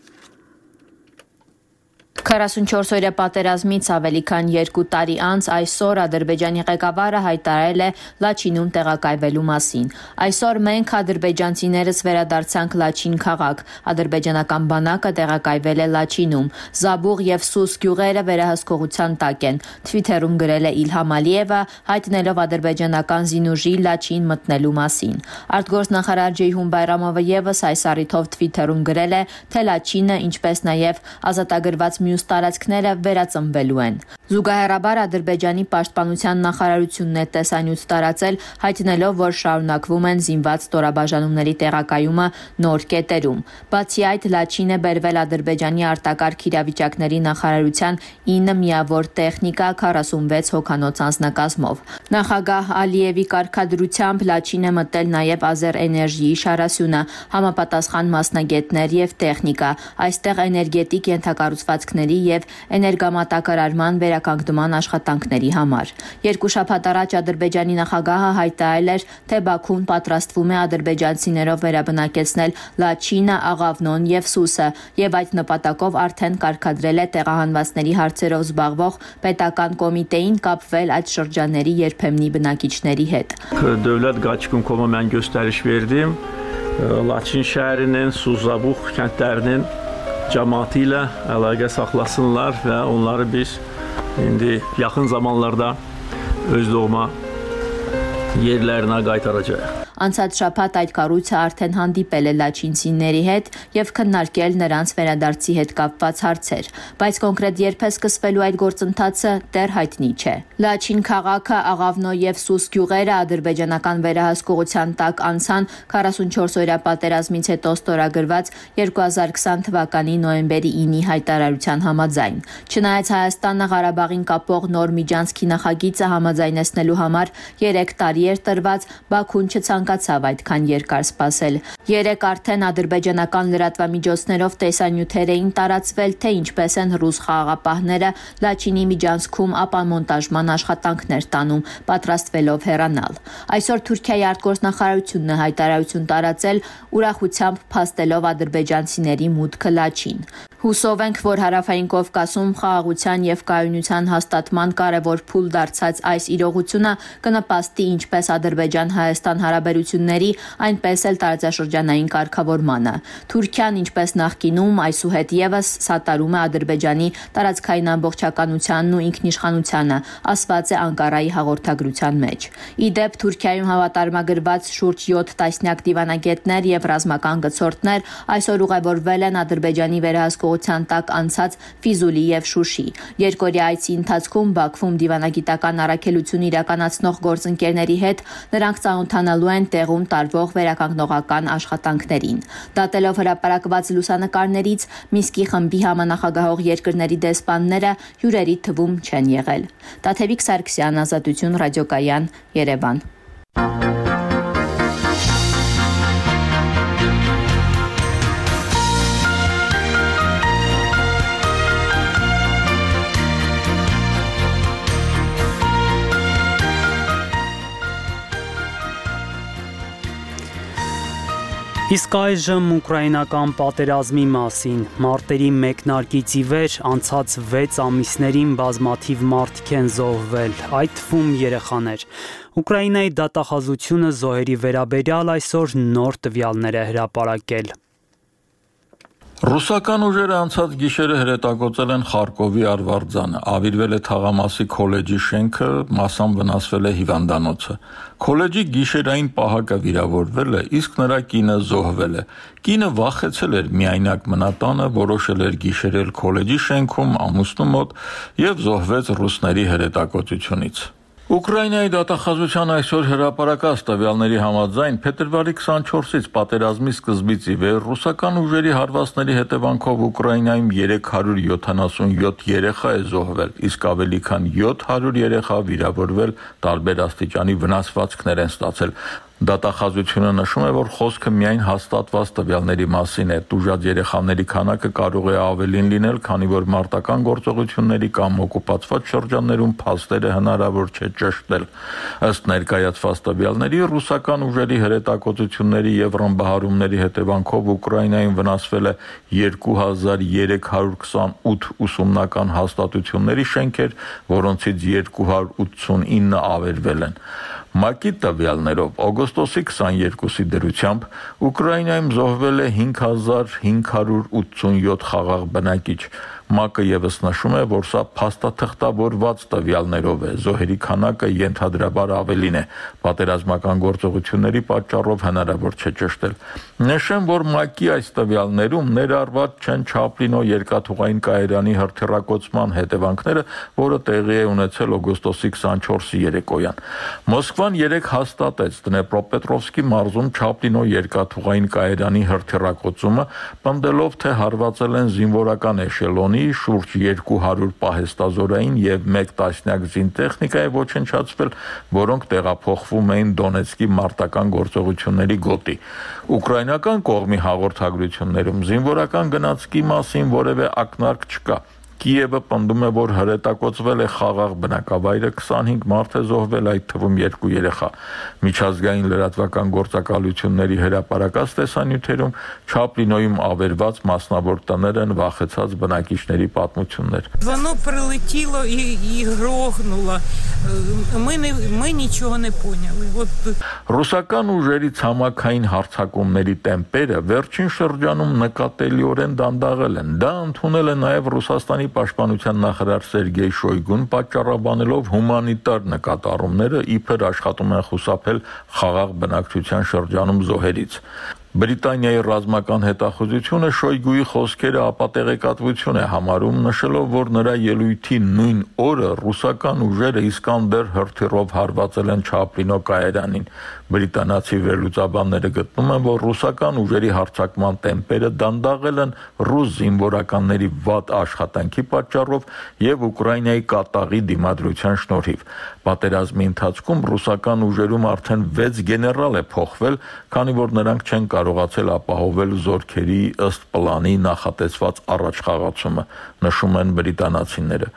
44-օրյա պատերազմից ավելի քան 2 տարի անց այսօր Ադրբեջանի ղեկավարը հայտարարել է Լաչինում տեղակայվելու մասին։ Այսօր մենք ադրբեջանցիներս վերադարձանք Լաչին քաղաք։ Ադրբեջանական բանակը տեղակայվել է Լաչինում։ Զաբուղ եւ Սուս գյուղերը վերահսկողության տակ են։ Twitter-ում գրել է Իլհամ Ալիևը, հայտնելով ադրբեջանական զինուժի Լաչին մտնելու մասին։ Արտգործնախարար Ջեյհուն Բայրամովը եւս այս առիթով Twitter-ում գրել է, թե Լաչինը, ինչպես նաեւ ազատագրված մյուս տարածքները վերածնվելու են։ Զուգահեռաբար Ադրբեջանի պաշտպանության նախարարությունն է տեսանյութ տարածել, հայտնելով, որ շարունակվում են զինված ստորաբաժանումների տեղակայումը նոր կետերում։ Բացի այդ, Լաչին է բերվել Ադրբեջանի արտակարգ իրավիճակների նախարարության 9 միավոր տեխնիկա 46 հոգանոց անձնակազմով։ Նախագահ Ալիևի կարգադրությամբ Լաչին է մտել նաև Ազերէներժիի շարասյունը, համապատասխան մասնագետներ եւ տեխնիկա։ Այստեղ էներգետիկ ենթակառուցվածքների եւ էներգամատակարարման վերականգնման աշխատանքների համար։ Երկու շաբաթ առաջ Ադրբեջանի նախագահը հայտարարել էր, թե Բաքուն պատրաստվում է ադրբեջանցիներով վերաբնակեցնել Լաչինը, Աղավնոն եւ Սուսը, եւ այդ նպատակով արդեն կարգադրել է տեղահանվածների հարցերով զբաղվող պետական կոմիտեին կապվել այդ շրջանների երբեմնի բնակիչների հետ։ Dövlət qaçqın komu mən göstəriş verdim. Laçin şəhərinin, Suzabux kəndlərinin cəmaatı ilə əlaqə saxlasınlar və onları biz indi yaxın zamanlarda öz doğma yerlərinə qaytaracağıq. Անցած շաբաթ այդ կառույցը արդեն հանդիպել է լաչինցիների հետ եւ քննարկել նրանց վերադարձի հետ կապված հարցեր, բայց կոնկրետ երբ է սկսվելու այդ գործընթացը դեռ հայտնի չէ։ Լաչին քաղաքը, Աղավնո եւ Սուս գյուղերը ադրբեջանական վերահսկողության տակ անցան 44-օրյա պատերազմից հետո ստորագրված 2020 թվականի նոյեմբերի 9-ի հայտարարության համաձայն։ Չնայած Հայաստանը Ղարաբաղին կապող նոր միջանցքի նախագիծը համաձայնեցնելու համար 3 տարի էր տրված, Բաքուն չցանկացավ այդքան երկար սպասել։ Երեք արդեն ադրբեջանական լրատվամիջոցներով տեսանյութեր էին տարածվել, թե ինչպես են ռուս խաղաղապահները Լաչինի միջանցքում ապամոնտաժման աշխատանքներ տանում, պատրաստվելով հեռանալ։ Այսօր Թուրքիայի արտգործնախարարությունն է հայտարարություն տարածել, ուրախությամբ փաստելով ադրբեջանցիների մուտքը Լաչին։ Հուսով ենք, որ Հարավային Կովկասում խաղաղության եւ կայունության հաստատման կարևոր փուլ դարձած այս իրողությունը կնպաստի ինչպես Ադրբեջան-Հայաստան հարաբերությունների, այնպես էլ տարածաշրջանային կարգավորմանը։ Թուրքիան, ինչպես նախկինում, այսուհետ եւս սատարում է Ադրբեջանի տարածքային ամբողջականությանն ու ինքնիշխանությանը, ասված է Անկարայի հաղորդագրության մեջ։ Ի դեպ, Թուրքիայում հավատարմագրված շուրջ 7 տասնյակ դիվանագետներ եւ ռազմական գծորդներ այսօր ուղևորվել են Ադրբեջանի վերահսկողության տակ անցած Ֆիզուլի եւ Շուշի։ Երկօրյա այցի ընթացքում Բաքվում դիվանագիտական առաքելություն իրականացնող գործընկերների հետ նրանք ծանոթանալու են տեղում տարվող վերականգնողական աշխատանքներին։ Դատելով հրապարակված լուսանկարներից Մինսկի խմբի համանախագահող երկրների դեսպանները հյուրերի թվում չեն եղել։ Տաթևիկ Սարգսյան, Ազատություն, ռադիոկայան, Երևան։ Իսկ այժմ ուկրաինական պատերազմի մասին։ Մարտերի մեկնարկից ի վեր անցած 6 ամիսներին բազմաթիվ մարդիկ են զոհվել, այդ թվում երեխաներ։ Ուկրաինայի դատախազությունը զոհերի վերաբերյալ այսօր նոր տվյալներ է հրապարակել։ Ռուսական ուժերը անցած գիշերը հրետակոծել են Խարկովի Արվարձանը, ավիրվել է թաղամասի քոլեջի շենքը, մասամբ վնասվել է հիվանդանոցը։ Քոլեջի գիշերային պահակը վիրավորվել է, իսկ նրա կինը զոհվել է։ Կինը վախեցել էր միայնակ մնատանը, որոշել էր գիշերել քոլեջի շենքում ամուսնու մոտ եւ զոհվեց ռուսների հրետակոծությունից։ Ուկրաինայի դատախազության այսօր հրապարակած տվյալների համաձայն փետրվարի 24-ից պատերազմի սկզբից ի վեր ռուսական ուժերի հարվածների հետևանքով Ուկրաինայում 377 երեխա է զոհվել, իսկ ավելի քան 700 երեխա վիրավորվել, տարբեր աստիճանի վնասվածքներ են ստացել։ Դատախազությունը նշում է, որ խոսքը միայն հաստատված տվյալների մասին է։ Տուժած երեխաների քանակը կարող է ավելին լինել, քանի որ մարտական գործողությունների կամ օկուպացված շրջաններում փաստերը հնարավոր չէ ճշտել։ Ըստ ներկայացված տվյալների, ռուսական ուժերի հրետակոծությունների եւ ռմբահարումների հետևանքով Ուկրաինայում վնասվել է 2328 ուսումնական հաստատությունների շենքեր, որոնցից 289 ավերվել են։ ՄԱԿ-ի տվյալներով օգոստոսի 22-ի դրությամբ Ուկրաինայում զոհվել է 5587 խաղաղ բնակիչ։ ՄԱԿ-ը եւս նշում է, որ սա փաստաթղթավորված տվյալներով է, զոհերի քանակը ենթադրաբար ավելին է, պատերազմական գործողությունների պատճառով հնարավոր չէ ճշտել։ Նշեմ, որ ՄԱԿ-ի այս տվյալներում ներառված չեն Չապլինո երկաթուղային կայարանի հրթիռակոծման հետևանքները, որը տեղի է ունեցել օգոստոսի 24-ի երեկոյան։ Մոսկվան երեկ հաստատեց Դնեպրոպետրովսկի մարզում Չապլինո երկաթուղային կայարանի հրթիռակոծումը, պնդելով, թե հարվածել են զինվորական էշելոնի շուրջ 200 պահեստազորային եւ 1 տասնյակ զինտեխնիկա է ոչնչացվել, որոնք տեղափոխվում էին Դոնեցկի մարտական գործողությունների գոտի։ Ուկրաինական կողմի հաղորդագրություններում զինվորական գնացքի մասին որևէ ակնարկ չկա։ Կիևը պնդում է, որ հրետակոծվել է խաղաղ բնակավայրը, 25 մարդ է զոհվել, այդ թվում 2 երեխա։ Միջազգային լրատվական գործակալությունների հրապարակած տեսանյութերում Չապլինոյում ավերված մասնավոր տներ են վախեցած բնակիչների պատմություններ։ Воно прилетіло і грохнуло. Ми нічого не поняли. Ռուսական ուժերի ցամաքային հարձակումների տեմպերը վերջին շրջանում նկատելիորեն դանդաղել են։ Դա ընդունել է նաև Ռուսաստանի պաշտպանության նախարար Սերգեյ Շոյգուն, պատճառաբանելով հումանիտար նկատառումները, իբր աշխատում են խուսափել խաղաղ բնակչության շրջանում զոհերից։ Բրիտանիայի ռազմական հետախուզությունը Շոյգուի խոսքերը ապատեղեկատվություն է համարում, նշելով, որ նրա ելույթի նույն օրը ռուսական ուժերը Իսկանդեր հրթիռով հարվածել են Չապլինո կայարանին։ Բրիտանացի վերլուծաբանները գտնում են, որ ռուսական ուժերի հարձակման տեմպերը դանդաղել են ռուս զինվորականների վատ աշխատանքի պատճառով եւ Ուկրաինայի կատաղի դիմադրության շնորհիվ։ Պատերազմի ընթացքում ռուսական ուժերում արդեն 6 գեներալ է փոխվել, քանի որ նրանք չեն կարողացել ապահովել զորքերի ըստ պլանի նախատեսված առաջխաղացումը, նշում են բրիտանացիները։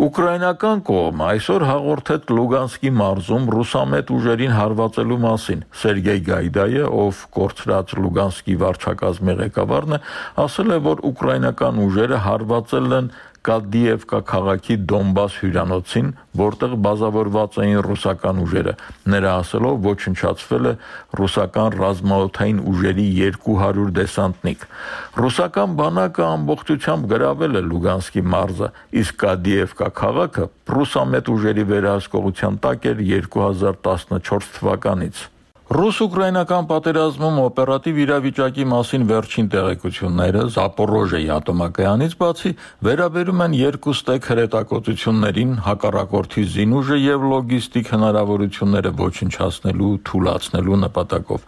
Ուկրաինական կողմը այսօր հաղորդեց Լուգանսկի մարզում ռուսամետ ուժերին հարվածելու մասին։ Սերգեյ Գայդայը, ով կորցրած Լուգանսկի վարչակազմի ղեկավարն է, ասել է, որ ուկրաինական ուժերը հարվածել են Կադիևկա քաղաքի Դոնբաս հյուրանոցին, որտեղ բազավորված էին ռուսական ուժերը։ Նրա ասելով ոչնչացվել է ռուսական ռազմաօդային ուժերի 200 դեսանտնիկ։ Ռուսական բանակը ամբողջությամբ գրավել է Լուգանսկի մարզը, իսկ Կադիևկա քաղաքը ռուսամետ ուժերի վերահսկողության տակ էր 2014 թվականից։ Ռուս-ուկրաինական պատերազմում օպերատիվ իրավիճակի մասին վերջին տեղեկությունները Զապորոժեի ատոմակայանից բացի վերաբերում են երկուստեք հրետակոծություններին, հակառակորդի զինուժը եւ լոգիստիկ հնարավորությունները ոչնչացնելու, թուլացնելու նպատակով։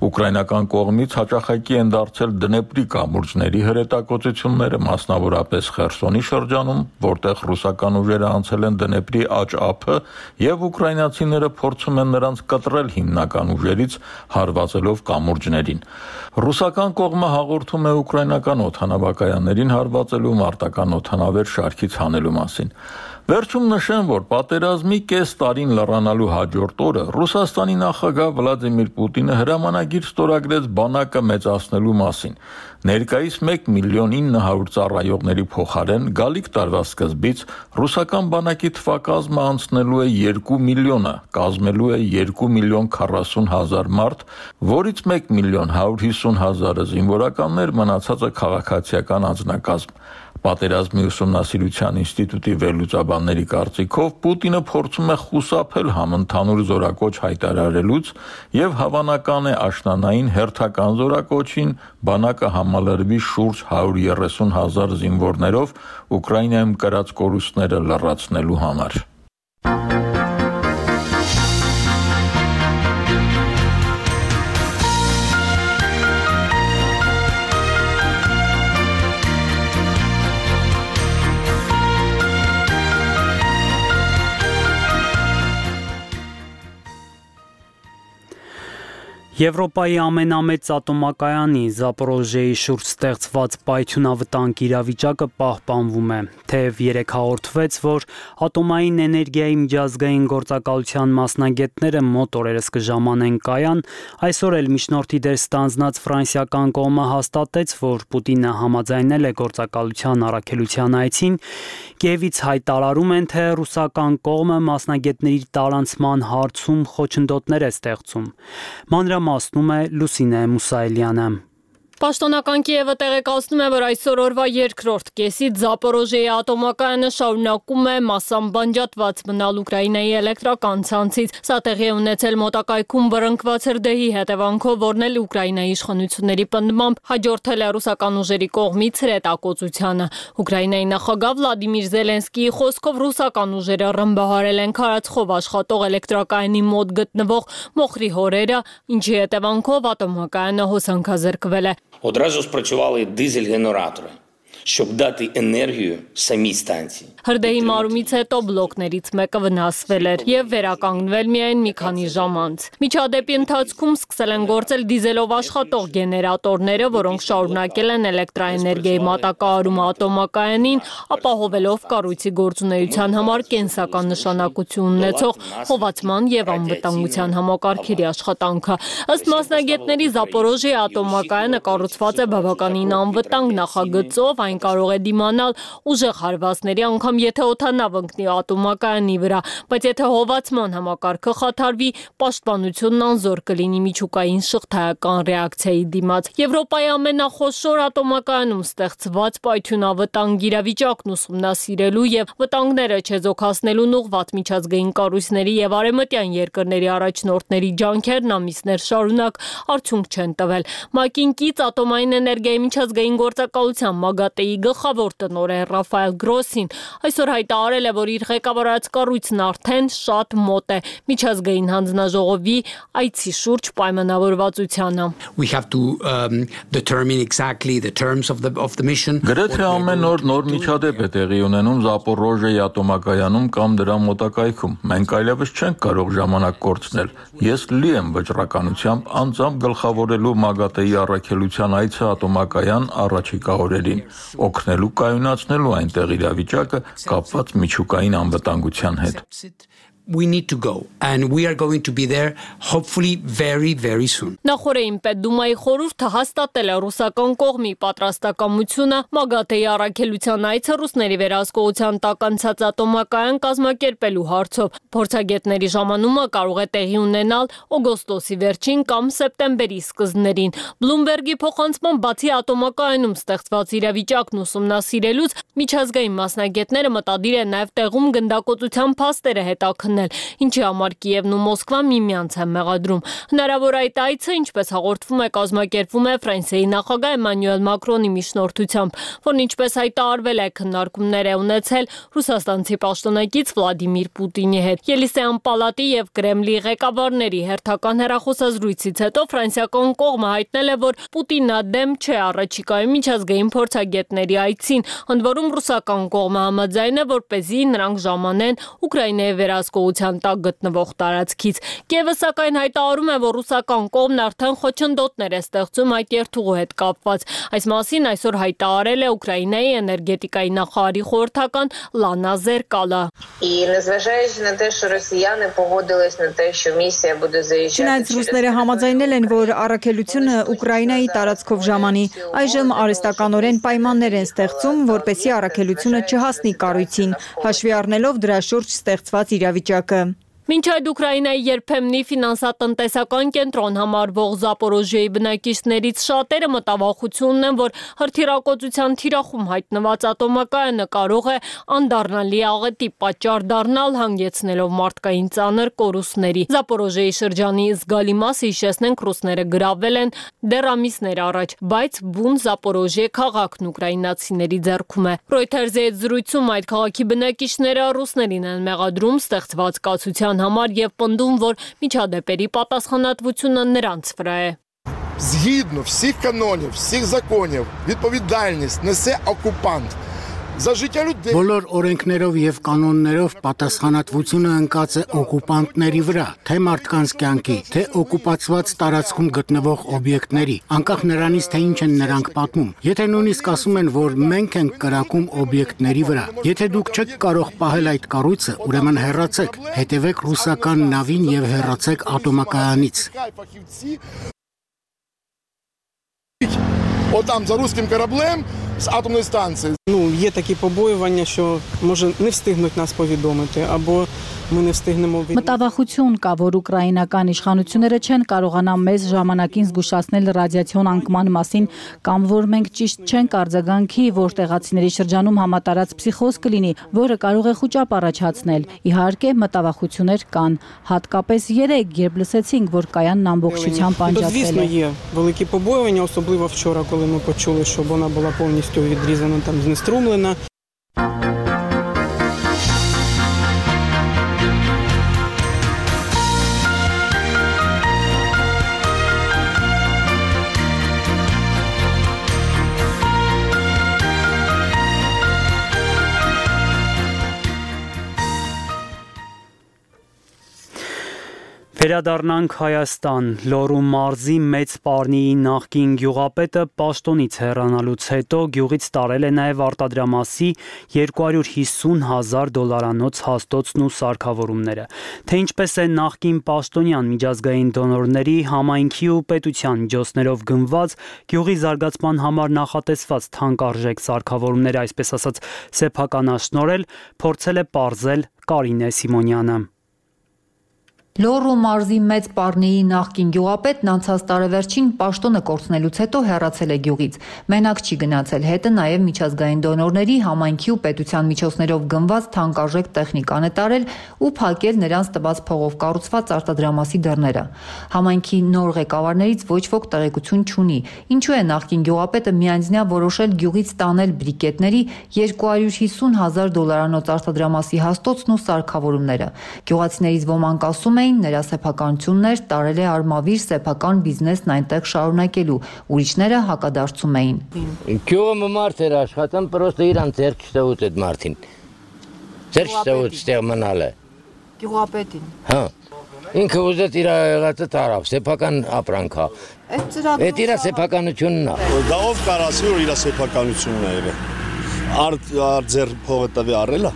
Ուկրաինական կողմից հաճախակի են դարձել Դնեպրի կամուրջների հրետակոծությունները, մասնավորապես Խերսոնի շրջանում, որտեղ ռուսական ուժերը անցել են Դնեպրի աջ ափը եւ ուկրաինացիները փորձում են նրանց կտրել հիմնական ուժերից հարվածելով կամուրջներին։ Ռուսական կողմը հաղորդում է ուկրաինական օդանավակայաններին հարվածելու մարտական օդանավեր շարքից հանելու մասին։ Վերջում նշեմ, որ պատերազմի կես տարին լռանալու հաջորդ օրը Ռուսաստանի նախագահ Վլադիմիր Պուտինը հրամանագիր ստորագրեց բանակը մեծացնելու մասին։ Ներկայիս 1.900.000 ծառայողների փոխարեն գալիք տարվա սկզբից ռուսական բանակի թվակազմը անցնելու է 2 միլիոնը, կազմելու է 2.040.000 մարդ, որից 1.150.000 զինվորականներ, մնացածը քաղաքացիական անձնակազմ։ Պատերազմի ուսումնասիրության ինստիտուտի վերլուծաբանների կարծիքով Պուտինը փորձում է խուսափել համընդհանուր զորակոչ հայտարարելուց եւ հավանական է աշնանային հերթական զորակոչին բանակը համալրվի շուրջ 130.000 զինվորներով Ուկրաինայում կրած կորուստները լրացնելու համար։ Եվրոպայի ամենամեծ ատոմակայանի Զապորոժեի շուրջ ստեղծված պայթյունավտանգ իրավիճակը պահպանվում է, թեև երեկ հաղորդվեց, որ ատոմային էներգիայի միջազգային գործակալության մասնագետները մոտ օրերս կժամանեն կայան, այսօր էլ միջնորդի դեր ստանձնած ֆրանսիական կողմը հաստատեց, որ Պուտինը համաձայնել է գործակալության առաքելության այցին, Կիևից հայտարարում են, թե ռուսական կողմը մասնագետների տարանցման հարցում խոչընդոտներ է ստեղծում։ Մանրամասնում է Լուսինե Մուսայելյանը։ Պաշտոնական Կիևը տեղեկացնում է, որ այսօր օրվա երկրորդ կեսից Զապորոժեի ատոմակայանը շարունակում է մասամբ բանջատված մնալ Ուկրաինայի էլեկտրական ցանցից։ Սա տեղի է ունեցել մոտակայքում բռնկված հրդեհի հետևանքով, որն էլ Ուկրաինայի իշխանությունների պնդմամբ հաջորդել է ռուսական ուժերի կողմից հրետակոծությանը։ Ուկրաինայի նախագահ Վլադիմիր Զելենսկիի խոսքով ռուսական ուժերը ռմբահարել են քարացխով աշխատող էլեկտրակայանի մոտ գտնվող մոխրի հորերը, ինչի հետևանքով ատոմակայանը հոսանքազրկվել է։ Одразу спрацювали дизель-генератори. щоб дати енергію самій станції. Հրդեհի մարումից հետո բլոկներից մեկը վնասվել էր եւ վերականգնվել միայն մի քանի ժամ անց։ Միջադեպի ընթացքում սկսել են գործել դիզելով աշխատող գեներատորները, որոնք շարունակել են էլեկտրաէներգիայի մատակարարումը ատոմակայանին, ապահովելով կառույցի գործունեության համար կենսական նշանակություն ունեցող հովացման եւ անվտանգության համակարգերի աշխատանքը։ Ըստ մասնագետների Զապորոժիայի ատոմակայանը կառուցված է բավականին անվտանգ նախագծով, այն կարող է դիմանալ ուժեղ հարվածների, անգամ եթե օդանավ ընկնի ատոմակայանի վրա, բայց եթե հովացման համակարգը խաթարվի, պաշտպանությունն անզոր կլինի միջուկային շղթայական ռեակցիայի դիմաց։ Եվրոպայի ամենախոշոր ատոմակայանում ստեղծված պայթյունավտանգ իրավիճակն ուսումնասիրելու եւ վտանգները չեզոքացնելուն ուղղված միջազգային կառույցների եւ արևմտյան երկրների առաջնորդների ջանքերն ամիսներ շարունակ արդյունք չեն տվել։ ՄԱԿ-ին կից ատոմային էներգիայի միջազգային գործակալության ՄԱԳԱՏԵ-ի գլխավոր տնօրեն Ռաֆայել Գրոսին այսօր հայտարարել է, որ իր ղեկավարած կառույցն արդեն շատ մոտ է միջազգային հանձնաժողովի այցի շուրջ պայմանավորվածությանը։ We have to determine exactly the terms of the mission. Գրեթե ամեն օր նոր միջադեպ է տեղի ունենում Զապորոժիայի ատոմակայանում կամ դրա մոտակայքում։ Մենք այլևս չենք կարող ժամանակ կորցնել։ Ես լի եմ վճռականությամբ անձամբ գլխավորելու ՄԱԳԱՏԵ-ի առաքելության այցը ատոմակայան առաջիկա օրերին, օգնելու կայունացնելու այնտեղ իրավիճակը կապված միջուկային անվտանգության հետ։ We need to go and we are going to be there hopefully very soon. Նախորդին Պետդումայի խորհուրդը հաստատել է ռուսական կողմի պատրաստակամությունը ՄԱԳԱՏԵ-ի առաքելության այցը ռուսների վերահսկողության տակ անցած ատոմակայան կազմակերպելու հարցով։ Փորձագետների ժամանումը կարող է տեղի ունենալ օգոստոսի վերջին կամ սեպտեմբերի սկզբներին։ Բլումբերգի փոխանցման բացի ատոմակայանում ստեղծված իրավիճակն ուսումնասիրելուց միջազգային մասնագետները մտադիր են նաև տեղում գնդակոծության փաստերը հետաքննել, ինչի համար Կիևն ու Մոսկվան միմյանց են մեղադրում։ Հնարավոր այդ այցը, ինչպես հաղորդվում է, կազմակերպվում է Ֆրանսիայի նախագահ Էմանուել Մակրոնի միջնորդությամբ, որն ինչպես հայտարարվել է, քննարկումներ է ունեցել ռուսաստանցի պաշտոնակից Վլադիմիր Պուտինի հետ։ Ելիսեյան պալատի եւ Կրեմլի ղեկավարների հերթական հեռախոսազրույցից հետո ֆրանսիական կողմը հայտնել է, որ Պուտինը դեմ չէ առաջիկայում միջազգային փորձագետների այցին, ընդ որում ռուսական կողմը համաձայն է, որպեսզի նրանք ժամանեն Ուկրաինայի վերահսկողության տակ գտնվող տարածքից։ Կիևը սակայն հայտարարում է, որ ռուսական կողմն արդեն խոչընդոտներ է ստեղծում այդ երթուղու հետ կապված։ Այս մասին այսօր հայտարարել է Ուկրաինայի էներգետիկայի նախարարի խորհրդական Լանա Զերկալը։ Չնայած ռուսները համաձայնել են, որ առաքելությունը Ուկրաինայի տարածքով ժամանի, այժմ արհեստականորեն պայմաններ են ստեղծում, որպեսզի առաքելությունը չհասնի կառույցին, հաշվի առնելով դրա շուրջ ստեղծված իրավիճակը։ Մինչ այդ Ուկրաինայի երբեմնի ֆինանսատնտեսական կենտրոն համարվող Զապորոժիայի բնակիչներից շատերը մտավախություն են, որ հրթիռակոծության թիրախում հայտնված ատոմակայանը կարող է անդառնալի աղետի պատճառ դառնալ, հանգեցնելով մարդկային ծանր կորուստների։ Զապորոժիայի շրջանի զգալի մասը, հիշեցնենք, ռուսները գրավել են դեռ ամիսներ առաջ, բայց բուն Զապորոժիե քաղաքն ուկրաինացիների ձեռքում է։ Reuters-ի հետ զրույցում այդ քաղաքի բնակիչները ռուսներին են մեղադրում ստեղծված կացության համար եւ պնդում, որ միջադեպերի պատասխանատվությունը նրանց վրա է։ Згідно всіх канонів, всіх законів, відповідальність несе окупант. Բոլոր օրենքներով եւ կանոններով պատասխանատվությունը ընկած է օկուպանտների վրա, թե մարդկանց կյանքի, թե օկուպացված տարածքում գտնվող օբյեկտների, անկախ նրանից, թե ինչ են նրանք պատմում։ Եթե նույնիսկ ասում են, որ մենք ենք կրակում օբյեկտների վրա, եթե դուք չեք կարող պահել այդ կառույցը, ուրեմն հեռացեք, հետևեք ռուսական նավին եւ հեռացեք ատոմակայանից։ Отам за руським кораблем з атомної станції. Є такі побоювання, що може не встигнуть нас повідомити або ми не встигнемо від... Մտավախություն կա, որ ուկրաինական իշխանությունները չեն կարողանա մեզ ժամանակին զգուշացնել ռադիացիոն անկման մասին կամ որ մենք ճիշտ չենք արձագանքի, որ տեղացիների շրջանում համատարած փսիխոզ կլինի, որը կարող է խուճապ առաջացնել։ Իհարկե, մտավախություններ կան, հատկապես երեկ, երբ լսեցինք, որ կայանն ամբողջությամբ անջատվել է։ Звісно, є великі побоювання, особливо вчора, коли ми почули, що вона була повністю відрізана, там знеструмлена. Վերադառնանք Հայաստան։ Լոռու մարզի Մեծ Պարնիի նախկին գյուղապետը պաշտոնից հեռանալուց հետո գյուղից տարել է նաև արտադրամասի $250,000 հաստոցն ու սարքավորումները։ Թե ինչպես է նախկին պաշտոնյան միջազգային դոնորների, համայնքի ու պետության միջոցներով գնված գյուղի զարգացման համար նախատեսված թանկարժեք սարքավորումները, այսպես ասած, սեփականաշնորհել, փորձել է պարզել Կարինե Սիմոնյանը։ Լոռու մարզի Մեծ Պարնիի նախկին գյուղապետն անցած տարեվերջին պաշտոնը կորցնելուց հետո հեռացել է գյուղից։ Մենակ չի գնացել, հետը նաև միջազգային դոնորների, համայնքի ու պետության միջոցներով գնված թանկարժեք տեխնիկան է տարել ու փակել նրանց տված փողով կառուցված արտադրամասի դռները։ Համայնքի նոր ղեկավարներից ոչ ոք տեղեկություն չունի, ինչու է նախկին գյուղապետը միանձնյա որոշել գյուղից տանել բրիկետների $250,000 արտադրամասի հաստոցն ու սարքավորումները։ Գյուղացիներից ոմանք ասում նրա սեփականություններ տարել է արմավիր սեփական բիզնեսն այնտեղ շարունակելու, ուրիշները հակադարձում էին։ Գյուղը մարդ էր աշխատում, պրոստը իրան ձեռք չտվուց այդ մարդին։ Ձեռք չտվուց ստեղ մնալը։ Գյուղապետին։ Հա։ Ինքը ուզեց իր եղածը տարավ, սեփական ապրանք է։ Այդ իր սեփականությունն է։ Դա ով կարասի որ իր սեփականությունն է եղել։ Ձեռ փողը տվի առել է։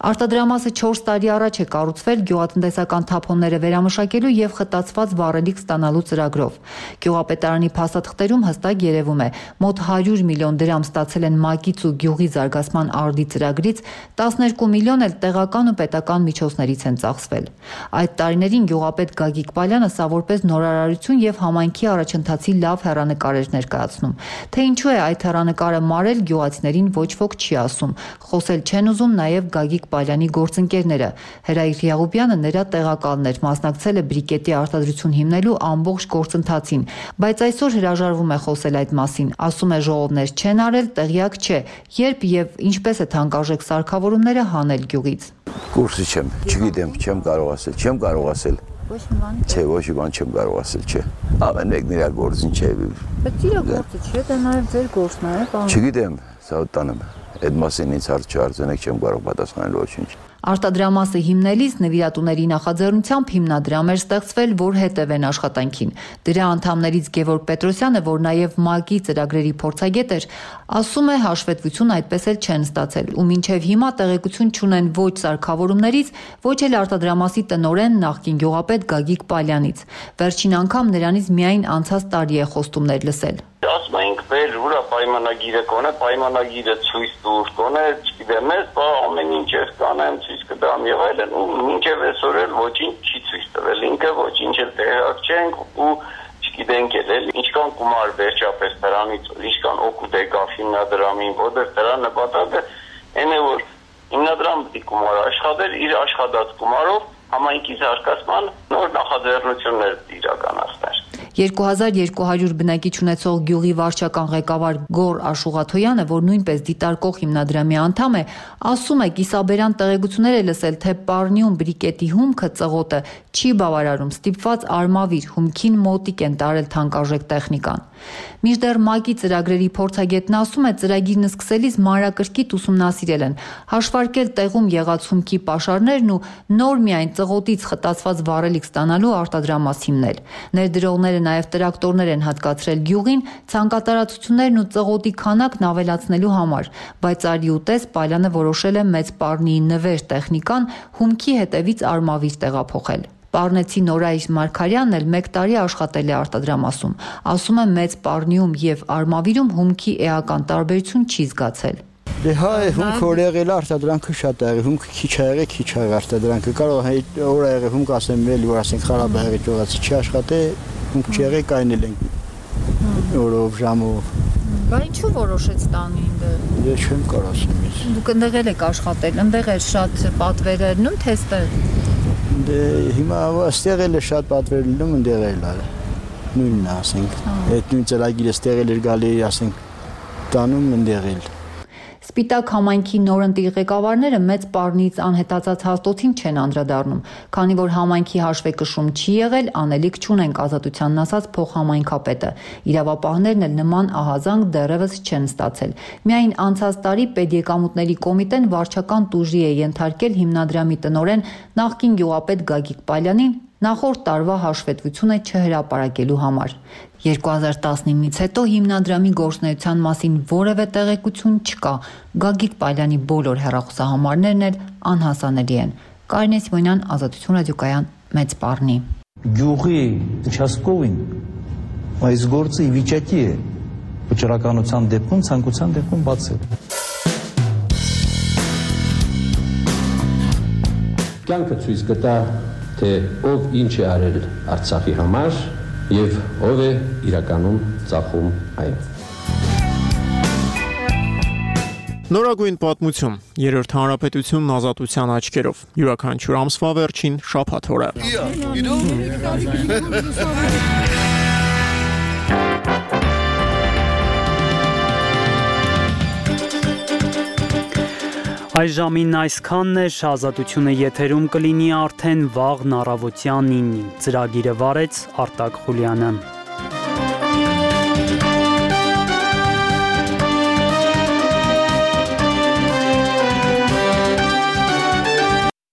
Արտադրամասը 4 տարի առաջ է կառուցվել գյուղատնտեսական թափոնները վերամշակելու եւ խտացված վառելիք ստանալու ծրագրով։ Գյուղապետարանի փաստաթղթերում հստակ երևում է, մոտ 100 միլիոն դրամ ստացել են ՄԱԿ-ից ու գյուղի զարգացման արդի ծրագրից, 12 միլիոն էլ տեղական ու պետական միջոցներից են ծախսվել։ Այդ տարիներին գյուղապետ Գագիկ Պալյանը սա որպես նորարարություն եւ համայնքի առաջընթացի լավ հեռանկար էր ներկայացնում։ Թե ինչու է այդ հեռանկարը մարել, գյուղացիներին ոչ ոք չի ասում։ Խոսել չեն ուզում նաեւ Գագիկ Պալյանի գործընկերները։ Հրայր Յաղուբյանը նրա տեղակալն էր, մասնակցել է բրիկետի արտադրություն հիմնելու ամբողջ գործընթացին, բայց այսօր հրաժարվում է խոսել այդ մասին, ասում է ժողովներ չեն արել, տեղյակ չէ, երբ եւ ինչպես է թանկարժեք սարքավորումները հանել գյուղից։ Կուրսի չգիտեմ, չեմ կարող ասել։ Ոչ մի բան։ Չէ, ոչ մի բան չեմ կարող ասել, չէ։ Ամեն մեկն իր գործին չէ։ Բայց իր գործը չէ, դա նաեւ ձեր գործն է, պարոն։ Չգիտեմ, սա տանեմ։ Այդ մասին ինձ հարց չարձնեք, չեմ կարող պատասխանել ոչինչ։ Արտադրամասը հիմնելիս նվիրատուների նախաձեռնությամբ հիմնադրամ էր ստեղծվել, որ հետևեն աշխատանքին։ Դրա անդամներից Գևորգ Պետրոսյանը, որ նաև ՄԱԿ-ի ծրագրերի փորձագետ էր, ասում է հաշվետվություն այդպես էլ չեն ստացել ու մինչև հիմա տեղեկություն չունեն ոչ սարքավորումներից, ոչ էլ արտադրամասի տնօրեն նախկին գյուղապետ Գագիկ Պալյանից։ Վերջին անգամ նրանից միայն անցած տարի է խոստումներ լսել։ Ասում ենք բեր ուրա պայմանագիրը կոնե, պայմանագիրը ցույց տուր կոնե, չգիտեմ, ես ամեն ինչ ես կանեմ, ցույց կտամ եւ այլն, ու մինչեւ այսօր էլ ոչինչ չի ցույց տվել, ինքը ոչինչ էլ տեղակ չենք ու չգիտենք էլ ինչքան գումար վերջապես դրանից, ինչքան օգուտ եկավ հիմնադրամին, որտեղ դրա նպատակը այն է որ հիմնադրամը պետք է գումար աշխատել իր աշխատած գումարով համայնքի զարգացման նոր նախաձեռնություններ իրականացնել։ 2200 բնակիչ ունեցող գյուղի վարչական ղեկավար Գոր Աշուղաթոյանը, որ նույնպես դիտարկող հիմնադրամի անդամ է, ասում է կիսաբերան տեղեկություններ է լսել, թե Պարնիում բրիկետի հումքը ծղոտը չի բավարարում, ստիպված արմավիր հումքին մոտիկ են տարել թանկարժեք տեխնիկան։ Մինչդեռ ՄԱԿ-ի ծրագրերի փորձագետն ասում է, ծրագիրն սկսելիս մանրակրկիտ ուսումնասիրել են, հաշվարկել տեղում եղած հումքի պաշարներն ու նոր միայն ծղոտից խտացված վառելիք ստանալու արտադրամաս հիմնել։ Ներդրողները նաև տրակտորներ են հատկացրել գյուղին, ցանկատարածություններն ու ծղոտի քանակն ավելացնելու համար, բայց արի ուտես Պալյանը որոշել է Մեծ Պարնիի նվեր տեխնիկան հումքի հետևից արմավիր տեղափոխել։ Պարնեցի Նորայր Մարգարյանն էլ 1 տարի աշխատել է արտադրամասում, ասում է Մեծ Պարնիում եւ արմավիրում հումքի էական տարբերություն չի զգացել։ Դե հա, հումքը որ եղել արտադրանքը շատ է եղել, հումքը քիչ է եղել, քիչ է արտադրանքը։ Կարող է օր է եղել, հումք ասեմ, էլի որ ասենք խարաբ է եղել, ճողացի չի աշխատել, հումք չեղել կայնել ենք օրով, ժամով։ Բա ինչու որոշեց տանի ինձ։ Ես չեմ կարող ասեմ ես։ Դուք ընդեղ եք աշխատել, ընդեղ էր շատ պատվերներ, նույն թե ստեղ։ Դե հիմա ստեղ էլ է շատ պատվեր լինում, ընդեղ էլ է։ Նույնն է, ասենք։ Այդ նույն ծրագիրը ստեղ էլ էր գալի, ասենք, տանում ընդեղ էլ։ Սպիտակ համայնքի նորընտիր ղեկավարները Մեծ Պարնիից անհետացած հաստոցին չեն անդրադառնում, քանի որ համայնքի հաշվեկշում չի եղել, անելիք չունենք ազատությանն ասած փոխհամայնքապետը։ Իրավապահներն էլ նման ահազանգ դեռևս չեն ստացել։ Միայն անցած տարի Պետեկամուտների կոմիտեն վարչական տուժի է ենթարկել հիմնադրամի տնօրեն նախկին գյուղապետ Գագիկ Պալյանին նախորդ տարվա հաշվետվությունը չհրապարակելու համար։ 2019-ից հետո հիմնադրամի գործունեության մասին որևէ տեղեկություն չկա։ Գագիկ Պալյանի բոլոր հեռախոսահամարներն էլ անհասանելի են։ Կարինե Սիմոնյան, Ազատություն ռադիոկայան, Մեծ Պառնի։ Գյուղի участковին այս գործը ի վիճակի է վճռականության դեպքում, ցանկության դեպքում բացել։ Կյանքը ցույց կտա, թե ով ինչ է արել Արցախի համար եւ ով է իրականում ծախում այն։ Նորագույն պատմություն, երրորդ հանրապետությունն ազատության աչքերով, յուրաքանչյուր ամսվա վերջին շաբաթ օրը։ Այս ժամին այսքանն է, Ազատությունը եթերում կլինի արդեն վաղն առավոտյան 9-ին։ Ծրագիրը վարեց Արտակ Խուլյանը։